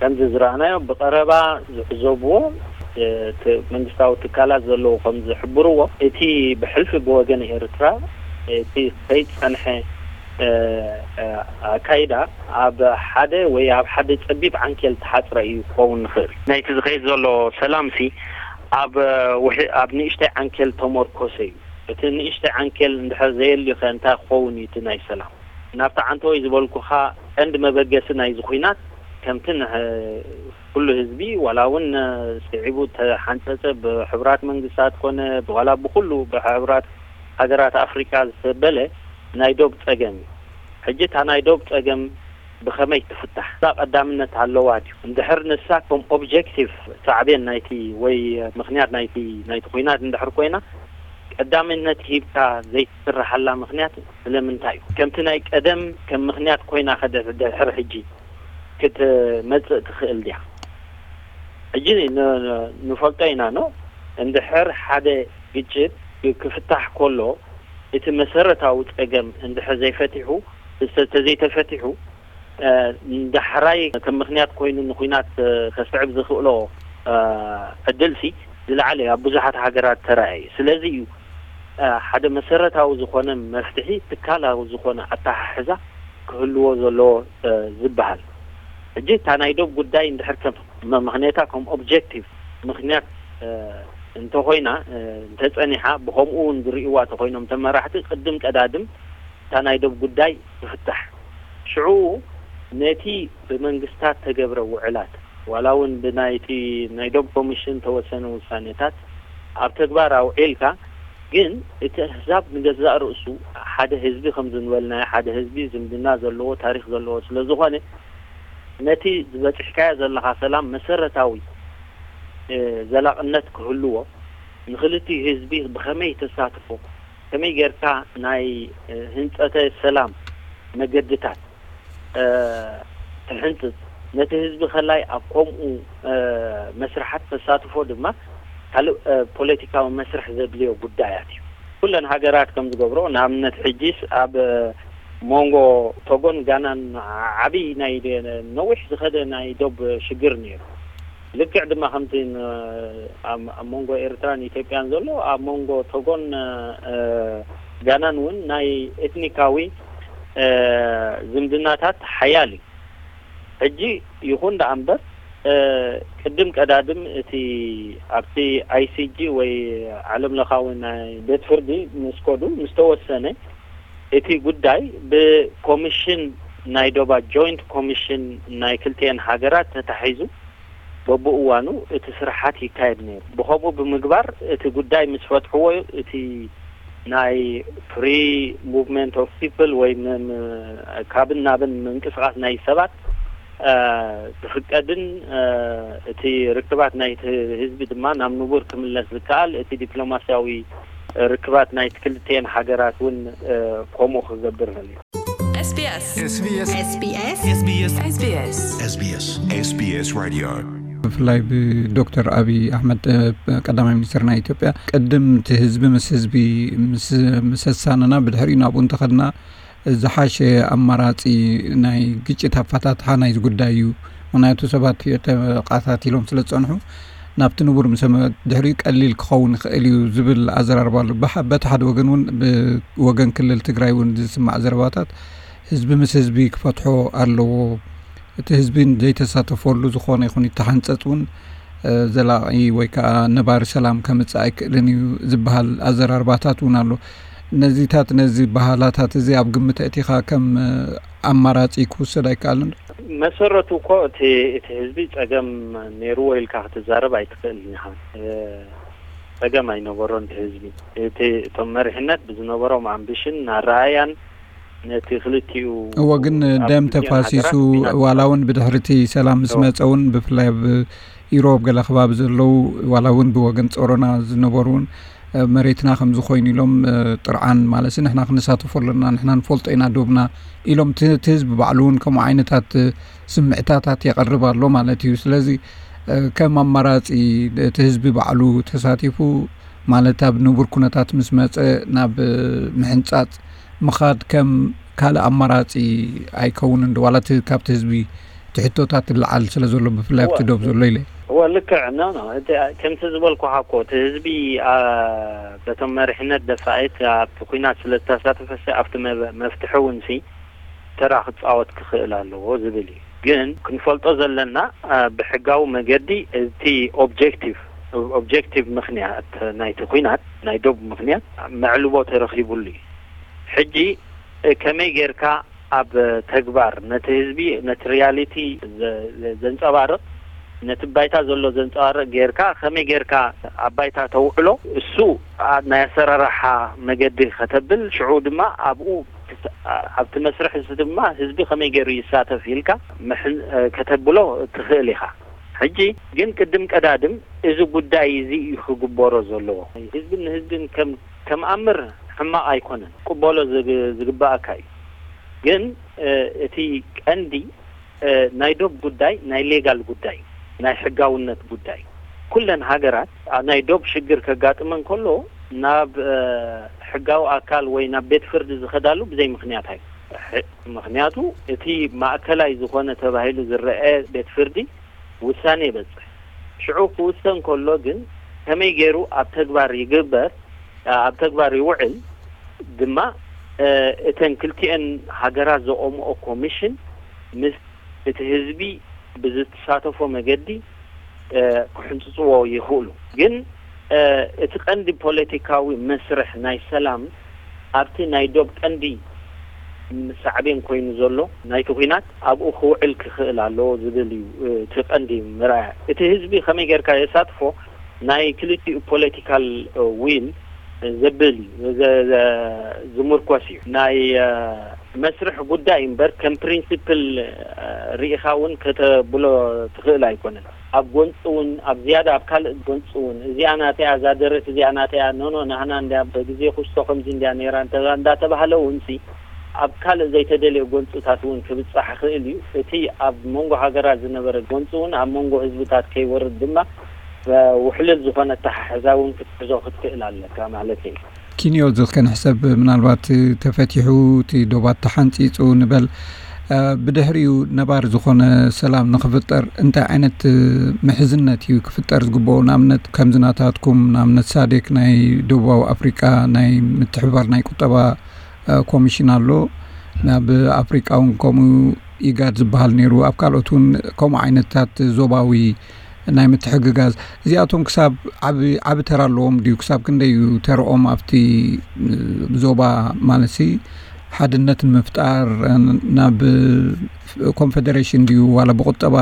ከምዚ ዝረኣናዮ ብቐረባ ዝዕዘብዎ መንግስታዊ ትካላት ዘለዉ ከም ዝሕብርዎ እቲ ብሕልፊ ብወገን ኤርትራ እቲ ከይጸንሐ ኣካይዳ ኣብ ሓደ ወይ ኣብ ሓደ ጸቢብ ዓንኬል ተሓጽረ እዩ ክኸውን ንኽእል። ናይቲ ዝኸይድ ዘሎ ሰላም ሲ ኣብ ኣብ ንእሽተይ ዓንኬል ተመርኮሰ እዩ። እቲ ንእሽተይ ዓንኬል እንድሕር ዘየልዩ ከ እንታይ ክኸውን እዩ እቲ ናይ ሰላም? ናብቲ ዓንተወይ ዝበልኩኻ ቀንዲ መበገሲ ናይዚ ኲናት ከምቲ ኩሉ ህዝቢ ዋላ እውን ስዒቡ ተሓንጸጸ ብሕቡራት መንግስታት ኮነ ዋላ ብኩሉ ብሕቡራት ሃገራት ኣፍሪቃ ዝተበለ ናይ ዶብ ጸገም እዩ። ሕጂ እታ ናይ ዶብ ጸገም ብኸመይ ትፍታሕ እዛ ቀዳምነት ኣለዋ ድዩ? እንድሕር ንሳ ከም ኦብጀክቲቭ ሳዕቤን ናይቲ ወይ ምኽንያት ናይቲ ናይቲ ኲናት እንድሕር ኮይና ቀዳምነት ሂብካ ዘይትስርሓላ ምኽንያት ስለምንታይ እዩ? ከምቲ ናይ ቀደም ከም ምኽንያት ኮይና ከ ድሕር ሕጂ ክትመጽእ ትኽእል ድያ? ሕጂ ንፈልጦ ኢና ኖ እንድሕር ሓደ ግጭት ክፍታሕ ከሎ እቲ መሰረታዊ ጸገም እንድሕር ዘይፈቲሑ ተዘይተፈቲሑ ዳሕራይ ከም ምኽንያት ኮይኑ ንኹናት ከስዕብ ዝኽእሎ ዕድል ሲ ዝለዓለ ኣብ ብዙሓት ሃገራት ተራእየ እዩ። ስለዚ እዩ ሓደ መሰረታዊ ዝኾነ መፍትሒ ትካላዊ ዝኾነ ኣተሓሕዛ ክህልዎ ዘለዎ ዝበሃል። ሕጂ እታ ናይ ዶብ ጉዳይ እንድሕር ከም ምኽንያታ ከም ኦብጀክቲቭ ምኽንያት እንተኾይና እንተጸኒሓ ብኸምኡ እውን ዝርእይዋ ተኾይኖም ተመራሕቲ ቅድም ቀዳድም እታ ናይ ዶብ ጉዳይ ትፍታሕ። ሽዑ ነቲ ብመንግስታት ተገብረ ውዕላት ዋላ እውን ብናይቲ ናይ ዶብ ኮሚሽን ተወሰነ ውሳኔታት ኣብ ተግባር ኣውዒልካ ግን እቲ ኣህዛብ ንገዛእ ርእሱ ሓደ ህዝቢ ከም ዝንበልናዮ ሓደ ህዝቢ ዝምድና ዘለዎ ታሪክ ዘለዎ ስለ ዝኾነ ነቲ ዝበፅሕካዮ ዘለኻ ሰላም መሰረታዊ ዘላቕነት ክህልዎ ንክልቲኡ ህዝቢ ብኸመይ ተሳትፎ ከመይ ጌርካ ናይ ህንፀተ ሰላም መገድታት ትሕንፅፅ ነቲ ህዝቢ ከላይ ኣብ ከምኡ መስርሓት ተሳትፎ ድማ ካልእ ፖለቲካዊ መስርሕ ዘድልዮ ጉዳያት እዩ። ኩለን ሃገራት ከም ዝገብሮ ንኣብነት ሕጂስ ኣብ መንጎ ቶጎን ጋናን ዓብይ ናይ ነዊሕ ዝኸደ ናይ ዶብ ሽግር ነይሩ። ልክዕ ድማ ከምቲ ኣብ መንጎ ኤርትራን ኢትዮጵያን ዘሎ ኣብ መንጎ ቶጎን ጋናን እውን ናይ ኤትኒካዊ ዝምድናታት ሓያል እዩ። ሕጂ ይኹን ደኣ እምበር ቅድም ቀዳድም እቲ ኣብቲ ኣይሲጂ ወይ ዓለም ለኻዊ ናይ ቤት ፍርዲ ምስ ከዱ ምስ ተወሰነ እቲ ጉዳይ ብኮሚሽን ናይ ዶባ ጆይንት ኮሚሽን ናይ ክልቲኤን ሃገራት ተታሒዙ በብእዋኑ እቲ ስራሓት ይካየድ ነይሩ። ብኸምኡ ብምግባር እቲ ጉዳይ ምስ ፈትሕዎ እቲ ናይ ፍሪ ሙቭመንት ኦፍ ፒፕል ወይ ካብን ናብን ምንቅስቃስ ናይ ሰባት ዝፍቀድን እቲ ርክባት ናይ ህዝቢ ድማ ናብ ንቡር ክምለስ ዝከኣል እቲ ዲፕሎማስያዊ ርክባት ናይ ክልቲኤን ሃገራት እውን ከምኡ ክገብር እል። SBS. SBS. SBS. SBS. SBS. SBS. SBS. SBS. SBS. SBS. Radio. ብፍላይ ብዶክተር ኣብይ ኣሕመድ ቀዳማይ ሚኒስትር ናይ ኢትዮጵያ ቅድም እቲ ህዝቢ ምስ ህዝቢ ምስ ኣሳነና ብድሕሪኡ ናብኡ እንተኸድና ዝሓሸ ኣማራፂ ናይ ግጭት ኣፈታትሓ ናይዚ ጉዳይ እዩ። ምክንያቱ ሰባት ተቃታቲሎም ስለ ዝፀንሑ ናብቲ ንቡር ምስ ድሕሪኡ ቀሊል ክኸውን ይኽእል እዩ ዝብል ኣዘራርባ ኣሎ። በቲ ሓደ ወገን እውን ብወገን ክልል ትግራይ እውን ዝስማዕ ዘረባታት ህዝቢ ምስ ህዝቢ ክፈትሖ ኣለዎ፣ እቲ ህዝቢ ዘይተሳተፈሉ ዝኾነ ይኹን ይተሓንፀፅ እውን ዘላቒ ወይ ከዓ ነባሪ ሰላም ከምፅእ ኣይክእልን እዩ ዝበሃል ኣዘራርባታት እውን ኣሎ። ነዚታት ነዚ ባህላታት እዚ ኣብ ግምት ኣእቲኻ ከም ኣማራፂ ክውሰድ ኣይከኣልን? መሰረቱ እኮ እቲ እቲ ህዝቢ ፀገም ነይርዎ ኢልካ ክትዛረብ ኣይትኽእልን ኢኻ። ጸገም ኣይነበሮን እቲ ህዝቢ። እቲ እቶም መሪሕነት ብዝነበሮም ኣምቢሽን ኣረኣያን ነቲ ክልቲኡ እዎ ግን ደም ተፋሲሱ ዋላ እውን ብድሕርቲ ሰላም ምስ መፀ እውን ብፍላይ ኣብ ኢሮብ ገለ ከባቢ ዘለዉ ዋላ እውን ብወገን ጾሮና ዝነበሩ እውን መሬትና ከምዚ ኮይኑ ኢሎም ጥርዓን ማለት ንሕና ክንሳተፎ ኣለና ንሕና ንፈልጦ ኢና ዶብና ኢሎም እቲ ህዝቢ ባዕሉ እውን ከምኡ ዓይነታት ስምዕታታት የቐርብ ኣሎ ማለት እዩ። ስለዚ ከም ኣማራፂ እቲ ህዝቢ ባዕሉ ተሳቲፉ ማለት ኣብ ንቡር ኩነታት ምስ መፀ ናብ ምሕንፃፅ ምኻድ ከም ካልእ ኣማራፂ ኣይከውንን ዶ ዋላ እቲ ካብቲ ህዝቢ እቲ ሕቶታት ይለዓል ስለ ዘሎ ብፍላይ ኣብቲ ዶብ ዘሎ ኢለ እወ ልክዕ ኖ ኖ እቲ ከምቲ ዝበልኩኻ እኮ እቲ ህዝቢ በቶም መሪሕነት ደፋኢት ኣብቲ ኩናት ስለ ዝተሳተፈ ኣብቲ መፍትሒ እውን ሲ ተራ ክፃወት ክኽእል ኣለዎ ዝብል እዩ። ግን ክንፈልጦ ዘለና ብሕጋዊ መገዲ እቲ objective objective ምኽንያት ናይቲ ኩናት ናይ ዶብ ምኽንያት መዕልቦ ተረኺቡሉ እዩ። ሕጂ ከመይ ጌርካ ኣብ ተግባር ነቲ ህዝቢ ነቲ reality ዘንፀባርቕ ነቲ ባይታ ዘሎ ዘንፀባርቕ ጌርካ ከመይ ጌርካ ኣብ ባይታ ተውዕሎ እሱ ናይ ኣሰራርሓ መገዲ ከተብል ሽዑ ድማ ኣብኡ ኣብቲ መስርሕ እዚ ድማ ህዝቢ ከመይ ገይሩ ይሳተፍ ኢልካ ከተብሎ ትኽእል ኢኻ። ሕጂ ግን ቅድም ቀዳድም እዚ ጉዳይ እዚ እዩ ክግበሮ ዘለዎ። ህዝብን ንህዝብን ከም ከም ኣምር ሕማቕ ኣይኮነን፣ ክቅበሎ ዝግባኣካ እዩ። ግን እቲ ቀንዲ ናይ ዶብ ጉዳይ ናይ ሌጋል ጉዳይ ናይ ሕጋውነት ጉዳይ ኩለን ሃገራት ናይ ዶብ ሽግር ከጋጥመን ከሎ ናብ ሕጋዊ ኣካል ወይ ናብ ቤት ፍርዲ ዝኸዳሉ ብዘይ ምኽንያት ኣይ ምኽንያቱ እቲ ማእከላይ ዝኾነ ተባሂሉ ዝረአ ቤት ፍርዲ ውሳኔ ይበጽሕ። ሽዑ ክውሰን ከሎ ግን ከመይ ገይሩ ኣብ ተግባር ይግበር ኣብ ተግባር ይውዕል ድማ እተን ክልቲኤን ሃገራት ዘቆምኦ ኮሚሽን ምስ እቲ ህዝቢ ብዝተሳተፎ መገዲ ክሕንፅፅዎ ይኽእሉ። ግን እቲ ቀንዲ ፖለቲካዊ መስርሕ ናይ ሰላም ኣብቲ ናይ ዶብ ቀንዲ ሳዕቤን ኮይኑ ዘሎ ናይቲ ኲናት ኣብኡ ክውዕል ክኽእል ኣለዎ ዝብል እዩ እቲ ቀንዲ መርኣያ። እቲ ህዝቢ ከመይ ጌርካ የሳትፎ ናይ ክልቲኡ ፖለቲካል ዊል ዘብል እዩ ዝምርኮስ እዩ። ናይ መስርሕ ጉዳይ እምበር ከም ፕሪንሲፕል ርኢኻ እውን ከተብሎ ትኽእል ኣይኮነን። ኣብ ጎንፂ እውን ኣብ ዝያዳ ኣብ ካልእ ጎንፂ እውን እዚኣ ናተያ እዛ ደረት እዚኣ ናተያ ኖኖ ናህና እንድያ በግዜ ኩስቶ ከምዚ እንድያ ነይራ እንዳተባህለ እውን ሲ ኣብ ካልእ ዘይተደልየ ጎንፅታት እውን ክብፃሕ ይኽእል እዩ። እቲ ኣብ መንጎ ሃገራት ዝነበረ ጎንፂ እውን ኣብ መንጎ ህዝብታት ከይወርድ ድማ ውሕልል ዝኾነ ኣተሓሕዛ እውን ክትሕዞ ክትክእል ኣለካ ማለት እዩ። ኪንዮ እዚ ከንሕሰብ ምናልባት ተፈቲሑ እቲ ዶባት ተሓንፂፁ ንበል ብድሕሪኡ ነባሪ ዝኾነ ሰላም ንክፍጠር እንታይ ዓይነት ምሕዝነት እዩ ክፍጠር ዝግብኦ? ንኣብነት ከምዚ ናታትኩም ንኣብነት ሳዴክ ናይ ደቡባዊ ኣፍሪቃ ናይ ምትሕብባር ናይ ቁጠባ ኮሚሽን ኣሎ። ናብ ኣፍሪቃ እውን ከምኡ ኢጋድ ዝበሃል ነይሩ። ኣብ ካልኦት እውን ከምኡ ዓይነታት ዞባዊ ናይ ምትሕግጋዝ እዚኣቶም ክሳብ ዓቢ ዓቢ ተራ ኣለዎም ድዩ? ክሳብ ክንደይ እዩ ተርኦም ኣብቲ ዞባ ማለት ሲ ሓድነት ንምፍጣር ናብ ኮንፌደሬሽን ድዩ ዋላ ብቁጠባ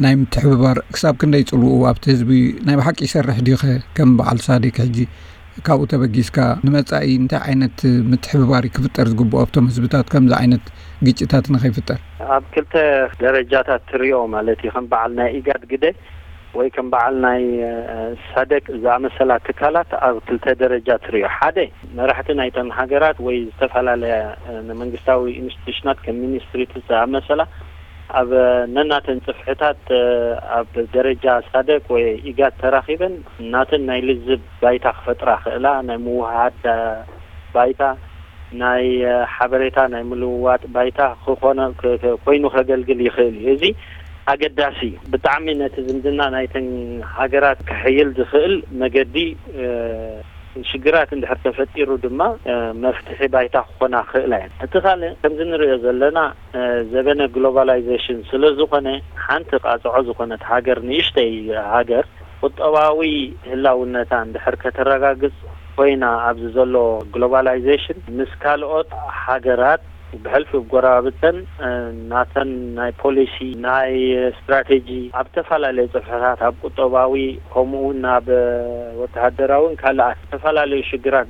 ናይ ምትሕብባር ክሳብ ክንደይ ጽልኡ ኣብቲ ህዝቢ ናይ ብሓቂ ይሰርሕ ድዩ ከ ከም በዓል ሳዴክ ሕጂ ካብኡ ተበጊስካ ንመጻኢ እንታይ ዓይነት ምትሕብባር ክፍጠር ዝግብኦ ኣብቶም ህዝብታት ከምዚ ዓይነት ግጭታት ንኸይፍጠር? ኣብ ክልተ ደረጃታት ትሪኦ ማለት እዩ። ከም በዓል ናይ ኢጋድ ግደ ወይ ከም በዓል ናይ ሳደቅ ዝኣመሰላ ትካላት ኣብ ክልተ ደረጃ ትሪኦ። ሓደ፣ መራሕቲ ናይተን ሃገራት ወይ ዝተፈላለያ መንግስታዊ ኢንስቲቱሽናት ከም ሚኒስትሪታት ዝኣመሰላ ኣብ ነናተን ጽፍሕታት ኣብ ደረጃ ሳደቅ ወይ ኢጋድ ተራኺበን ናተን ናይ ልዝብ ባይታ ክፈጥራ ክእላ፣ ናይ ምውሃድ ባይታ፣ ናይ ሓበሬታ ናይ ምልውዋጥ ባይታ ክኾነ ኮይኑ ከገልግል ይኽእል እዩ። እዚ ኣገዳሲ እዩ። ብጣዕሚ ነቲ ዝምድና ናይተን ሃገራት ክሕይል ዝኽእል መገዲ ሽግራት እንድሕር ተፈጢሩ ድማ መፍትሒ ባይታ ክኾና ክኽእላ እየን። እቲ ካልእ ከምዚ ንሪኦ ዘለና ዘበነ ግሎባላይዜሽን ስለ ዝኾነ ሓንቲ ቃጽዖ ዝኾነት ሃገር፣ ንእሽተይ ሃገር ቁጠባዊ ህላውነታ እንድሕር ከተረጋግጽ ኮይና ኣብዚ ዘሎ ግሎባላይዜሽን ምስ ካልኦት ሃገራት ብሕልፊ ጎረባብተን ናተን ናይ ፖሊሲ ናይ ስትራቴጂ ኣብ ዝተፈላለየ ጽፍሕታት ኣብ ቁጠባዊ ከምኡ እውን ናብ ወተሃደራውን ካልኣት ዝተፈላለዩ ሽግራት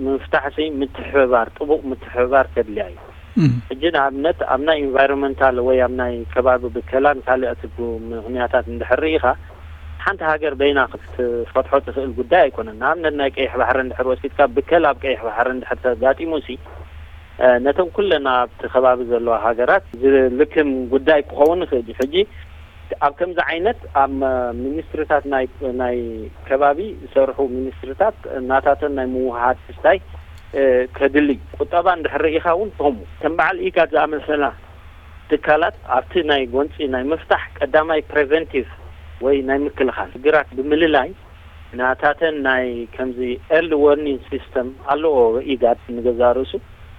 ንምፍታሕ ምትሕብባር ጥቡቕ ምትሕብባር ከድልያ እዩ። ሕጂ ንኣብነት ኣብ ናይ ኢንቫይሮንመንታል ወይ ኣብ ናይ ከባቢ ብከላን ካልኦት ምኽንያታት እንድሕር ርኢኻ ሓንቲ ሃገር በይና ክትፈትሖ ትኽእል ጉዳይ ኣይኮነን። ንኣብነት ናይ ቀይሕ ባሕሪ እንድሕር ወሲድካ ብከላ ኣብ ቀይሕ ባሕሪ እንድሕር ተጋጢሙ ሲ ነተን ኩለን ኣብቲ ከባቢ ዘለዋ ሃገራት ዝልክም ጉዳይ ክኸውን ይኽእል እዩ። ሕጂ ኣብ ከምዚ ዓይነት ኣብ ሚኒስትሪታት ናይ ከባቢ ዝሰርሑ ሚኒስትሪታት ናታተን ናይ ምውሃድ ክስታይ ከድሊ ቁጠባ እንድሕር ርኢኻ እውን ከምኡ ከም በዓል ኢጋድ ዝኣመሰላ ትካላት ኣብቲ ናይ ጎንፂ ናይ ምፍታሕ ቀዳማይ ፕሬቨንቲቭ ወይ ናይ ምክልኻል ሽግራት ብምልላይ ናታተን ናይ ከምዚ ኤርሊ ወርኒንግ ሲስተም ኣለዎ ኢጋድ ንገዛ ርእሱ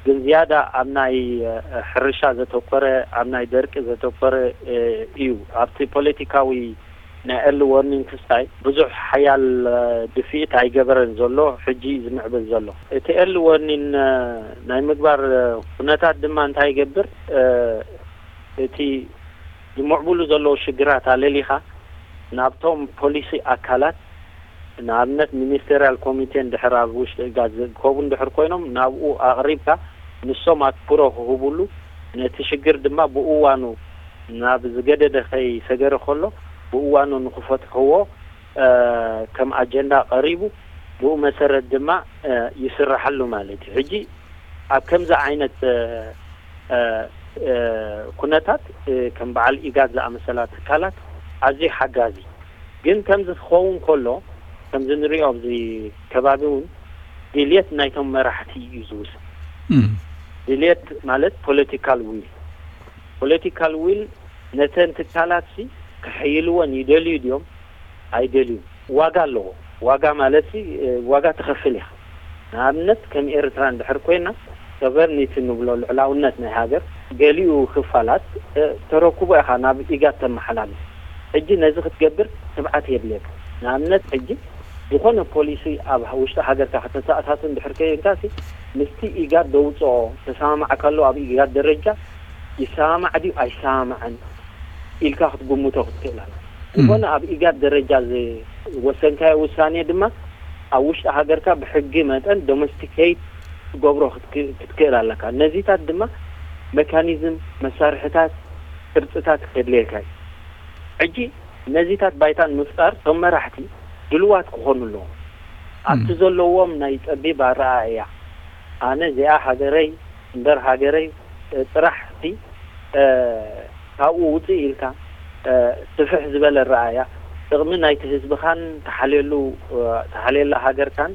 ግን ዝያዳ ኣብ ናይ ሕርሻ ዘተኮረ ኣብ ናይ ደርቂ ዘተኮረ እዩ። ኣብቲ ፖለቲካዊ ናይ ኤርሊ ወርኒንግ ክስታይ ብዙሕ ሓያል ድፍኢት ኣይገበረን ዘሎ ሕጂ እዩ ዝምዕብል ዘሎ። እቲ ኤርሊ ወርኒንግ ናይ ምግባር ኩነታት ድማ እንታይ ይገብር? እቲ ዝምዕብሉ ዘለዉ ሽግራት ኣለሊኻ ናብቶም ፖሊሲ ኣካላት ንኣብነት ሚኒስቴርያል ኮሚቴ እንድሕር ኣብ ውሽጢ ኢጋድ ዝእከቡ እንድሕር ኮይኖም ናብኡ ኣቕሪብካ ንሶም ኣትኩሮ ክህብሉ ነቲ ሽግር ድማ ብእዋኑ ናብ ዝገደደ ከይሰገረ ከሎ ብእዋኑ ንክፈትሕዎ ከም ኣጀንዳ ቀሪቡ ብኡ መሰረት ድማ ይስራሓሉ ማለት እዩ። ሕጂ ኣብ ከምዚ ዓይነት ኩነታት ከም በዓል ኢጋድ ዝኣመሰላ ትካላት ኣዝዩ ሓጋዚ ግን ከምዚ ክኸውን ከሎ ከምዚ ንሪኦ ኣብዚ ከባቢ እውን ድልየት ናይቶም መራሕቲ እዩ ዝውስን። ድልየት ማለት ፖለቲካል ዊል ፖለቲካል ዊል ነተን ትካላት ሲ ክሕይልወን ይደልዩ ድዮም ኣይደልዩ ዋጋ ኣለዎ። ዋጋ ማለት ሲ ዋጋ ትኸፍል ኢኻ። ንኣብነት ከም ኤርትራ እንድሕር ኮይና ሶቨርኒቲ ንብሎ ልዕላውነት ናይ ሃገር ገሊኡ ክፋላት ተረክቦ ኢኻ ናብ ኢጋድ ተመሓላልፍ። ሕጂ ነዚ ክትገብር ትብዓት የድልየካ። ንኣብነት ሕጂ ዝኾነ ፖሊሲ ኣብ ውሽጢ ሃገርካ ከተተኣታቱ እንድሕር ከይንካ ሲ ምስቲ ኢጋድ ደውፅኦ ተሰማማዕካሉ ኣብ ኢጋድ ደረጃ ይሰማማዕ ድዩ ኣይሰማማዕን ኢልካ ክትግምቶ ክትክእል ኣለ። ዝኾነ ኣብ ኢጋድ ደረጃ ዝወሰንካዮ ውሳኔ ድማ ኣብ ውሽጢ ሃገርካ ብሕጊ መጠን ዶሜስቲኬት ክትገብሮ ክትክእል ኣለካ። ነዚታት ድማ መካኒዝም፣ መሳርሕታት፣ ቅርፅታት ከድልየካ እዩ። ሕጂ ነዚታት ባይታን ምፍጣር እቶም መራሕቲ ድልዋት ክኾኑ ኣለዎም። ኣብቲ ዘለዎም ናይ ፀቢብ ኣረኣእያ ኣነ እዚኣ ሃገረይ እምበር ሃገረይ ጥራሕ ሲ ካብኡ ውፅእ ኢልካ ስፍሕ ዝበለ ኣረኣእያ ጥቕሚ ናይቲ ህዝብኻን ተሓልየሉ ተሓልየላ ሃገርካን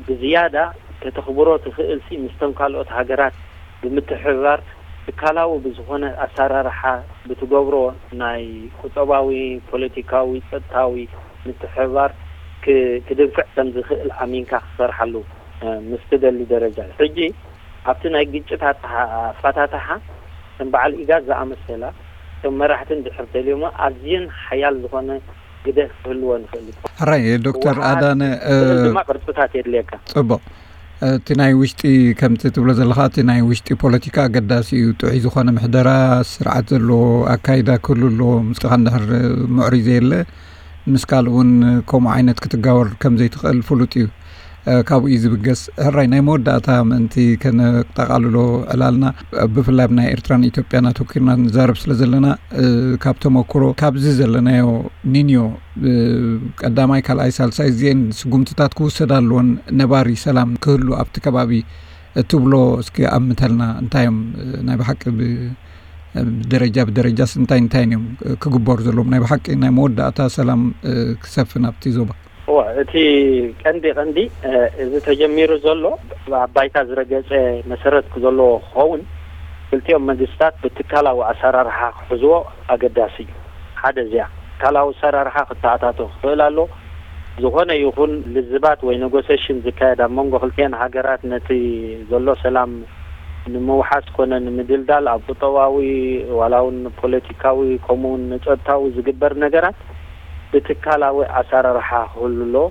ብዝያዳ ከተኽብሮ ትኽእል ሲ ምስቶም ካልኦት ሃገራት ብምትሕብባር ትካላዊ ብዝኾነ ኣሰራርሓ ብትገብሮ ናይ ቁጠባዊ፣ ፖለቲካዊ፣ ፀጥታዊ ምትሕብባር ክድንፍዕ ከም ዝኽእል ኣሚንካ ክትሰርሓሉ ምስ ትደሊ ደረጃ እዩ። ሕጂ ኣብቲ ናይ ግጭት ኣፈታትሓ ከም በዓል ኢጋድ ዝኣመሰላ እቶም መራሕቲ እንድሕር ተልዮሞ ኣዝየን ሓያል ዝኾነ ግደ ክህልወን ይኽእል እዩ። ሕራይ ዶክተር ኣዳነ ድማ ቅርፅታት የድልየካ። ፅቡቕ እቲ ናይ ውሽጢ ከምቲ ትብሎ ዘለኻ እቲ ናይ ውሽጢ ፖለቲካ ኣገዳሲ እዩ። ጥዑይ ዝኾነ ምሕደራ ስርዓት ዘለዎ ኣካይዳ ክህሉ ኣለዎ። ምስኻ እንድሕር ምዕሩይ ዘየለ ምስ ካልእ እውን ከምኡ ዓይነት ክትጋወር ከም ዘይትኽእል ፍሉጥ እዩ። ካብኡ እዩ ዝብገስ። ሕራይ ናይ መወዳእታ ምእንቲ ከነጠቓልሎ ዕላልና፣ ብፍላይ ኣብ ናይ ኤርትራን ኢትዮጵያን ኣተኪርና ንዛረብ ስለ ዘለና፣ ካብ ተመክሮ፣ ካብዚ ዘለናዮ ኒንዮ ቀዳማይ፣ ካልኣይ፣ ሳልሳይ፣ እዚአን ስጉምትታት ክውሰዳ ኣለዎን፣ ነባሪ ሰላም ክህሉ ኣብቲ ከባቢ እትብሎ እስኪ ኣምተልና። እንታይ እዮም ናይ ብሓቂ ብ-፣ ብደረጃ ብደረጃስ እንታይ እንታይ እዮም ክግበሩ ዘለዎም ናይ ብሓቂ ናይ መወዳእታ ሰላም ክሰፍን ኣብቲ ዞባ? እወ፣ እቲ ቀንዲ ቀንዲ፣ እ፣ እዚ ተጀሚሩ ዘሎ ኣብ ባይታ ዝረገጸ መሰረት ዘለዎ ክኸውን፣ ክልቲኦም መንግስታት ብትካላዊ ኣሰራርሓ ክሕዝዎ ኣገዳሲ እዩ። ሓደ እዚኣ፣ ትካላዊ ኣሰራርሓ ክተኣታቶ ክኽእል ኣሎ። ዝኾነ ይኹን ልዝባት ወይ ኔጎሴሽን ዝካየድ ኣብ መንጎ ክልቲአን ሃገራት ነቲ ዘሎ ሰላም ንምውሓስ ኮነ ንምድልዳል ኣብ ቁጠባዊ ዋላ እውን ፖለቲካዊ ከምኡ እውን ንጸጥታዊ ዝግበር ነገራት ብትካላዊ ኣሰራርሓ ክህሉ ኣለዎ።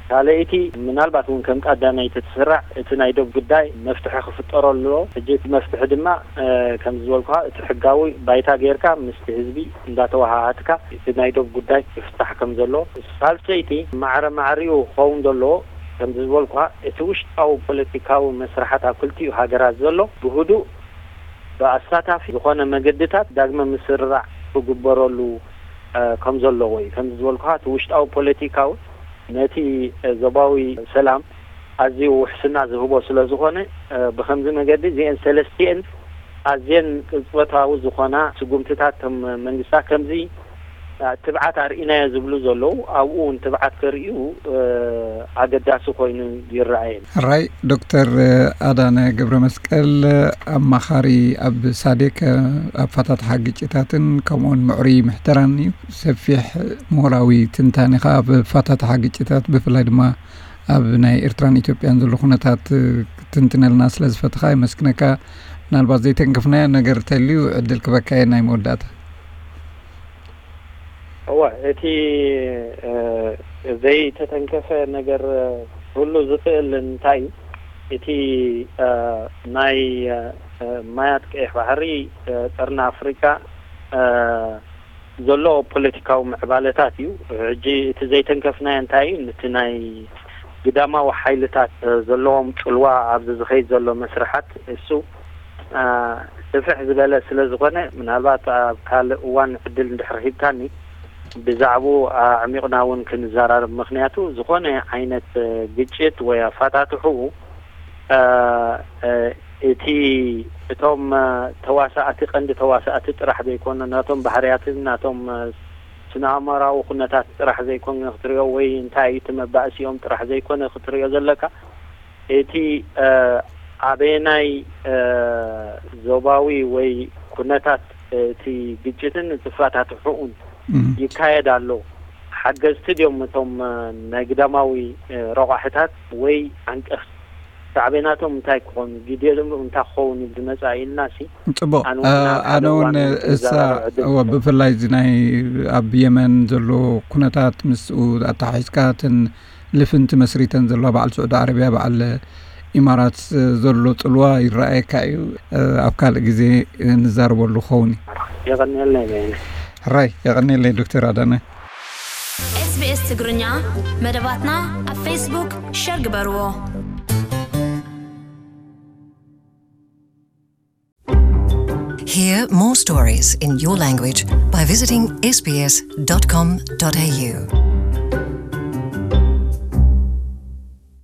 ካልኣይቲ፣ ምናልባት እውን ከም ቀዳመይቲ ትስራዕ እቲ ናይ ዶብ ጉዳይ መፍትሒ ክፍጠረሉ ኣለዎ። ሕጂ እቲ መፍትሒ ድማ፣ እ፣ ከም ዝበልኩኻ እቲ ሕጋዊ ባይታ ጌርካ ምስቲ ህዝቢ እንዳተወሃሃድካ እቲ ናይ ዶብ ጉዳይ ክፍታሕ ከም ዘሎ። ሳልሰይቲ፣ ማዕረ ማዕሪኡ ክኸውን ዘለዎ ከም ዝበልኩኻ እቲ ውሽጣዊ ፖለቲካዊ መስርሓት ኣብ ክልቲኡ ሃገራት ዘሎ ብህዱእ ብኣሳታፊ ዝኾነ መገድታት ዳግመ ምስርራዕ ክግበረሉ፣ እ፣ ከም ዘለዎ እዩ። ከም ዝበልኩኻ እቲ ውሽጣዊ ፖለቲካዊ ነቲ፣ እ፣ ዞባዊ ሰላም ኣዝዩ ውሕስና ዝህቦ ስለ ዝኾነ፣ እ፣ ብኸምዚ መገዲ እዚአን ሰለስቲአን ኣዝየን ቅጽበታዊ ዝኾና ስጉምትታት ከም መንግስታት ከምዚ ትብዓት ኣርኢናዮ ዝብሉ ዘለዉ፣ ኣብኡ እውን ትብዓት ከርእዩ፣ እ፣ ኣገዳሲ ኮይኑ ይረኣየኒ። ሕራይ፣ ዶክተር ኣዳነ ገብረ መስቀል፣ ኣማኻሪ ኣብ ሳዴክ፣ ኣብ ኣፋታትሓ ግጭታትን ከምኡውን ምዕሩይ ምሕደራን እዩ። ሰፊሕ ምሁራዊ ትንታኔኻ ኣብ ኣፋታትሓ ግጭታት፣ ብፍላይ ድማ ኣብ ናይ ኤርትራን ኢትዮጵያን ዘሎ ኩነታት ክትንትነልና ስለ ዝፈትኻ የመስግነካ። ምናልባት ዘይተንከፍናዮ ነገር እንተልዩ ዕድል ክበካ እየ ናይ መወዳእታ። እወ፣ እቲ፣ እ፣ ዘይተተንከፈ ነገር ክህሉ ዝኽእል እንታይ እዩ? እቲ፣ እ፣ ናይ፣ እ፣ ማያት ቀይሕ ባሕሪ፣ እ፣ ቀርኒ ኣፍሪቃ፣ እ፣ ዘሎ ፖለቲካዊ ምዕባለታት እዩ። ሕጂ እቲ ዘይተንከፍናዮ እንታይ እዩ? ነቲ ናይ ግዳማዊ ሓይልታት ዘለዎም ጽልዋ ኣብዚ ዝኸይድ ዘሎ መስርሓት እሱ፣ እ፣ ስፍሕ ዝበለ ስለ ዝኾነ፣ ምናልባት ኣብ ካልእ እዋን ዕድል እንድሕር ሂብካኒ ብዛዕባኡ ኣዕሚቕና እውን ክንዘራረብ። ምክንያቱ ዝኾነ ዓይነት፣ እ፣ ግጭት ወይ ኣፈታትሕኡ፣ እ፣ እ፣ እቲ፣ እቶም፣ እ፣ ተዋሳእቲ፣ ቀንዲ ተዋሳእቲ ጥራሕ ዘይኮነ፣ ናቶም ባህርያትን ናቶም፣ እ፣ ስነ ኣእምራዊ ኩነታት ጥራሕ ዘይኮነ ክትሪኦ፣ ወይ እንታይ እዩ እቲ መባእሲኦም ጥራሕ ዘይኮነ ክትሪኦ ዘለካ፣ እቲ፣ እ፣ ኣበየናይ፣ እ፣ ዞባዊ ወይ ኩነታት እቲ ግጭትን እቲ ኣፈታትሕኡን እም። ይካየድ ኣሎ? ሓገዝቲ ድዮም እቶም፣ እ፣ ናይ ግዳማዊ፣ እ፣ ረቋሕታት ወይ ዓንቀፍቲ? ሳዕቤናቶም እንታይ ክኾኑ፣ ግዴቶም እንታይ ክኸውን እዩ ዝመጽኣ ኢልና ሲ? ጽቡቕ። ኣነ እውን እ፣ ሓደ ኣነ እውን እዋን እሳ፣ ክንዘራረብ ዕድል እወ፣ ክፈጥር። ብፍላይ እዚ ናይ ኣብ የመን ዘሎ ኩነታት ምስኡ ኣተሓሒዝካ፣ እተን ልፍንቲ መስሪተን ዘለዋ በዓል ስዑዲ ዓረብያ፣ በዓል ኢማራት ዘሎ ጽልዋ ይረኣየካ እዩ። እ፣ ኣብ ካልእ ግዜ ንዛረበሉ ክኸውን እዩ። የቐንየልና ይበይነ። ሕራይ፣ የቐንየለይ ዶክተር ኣዳነ። ኤስቢኤስ ትግርኛ መደባትና ኣብ ፌስቡክ ሸር ግበርዎ። Hear more stories in your language by visiting S B S dot com dot A U.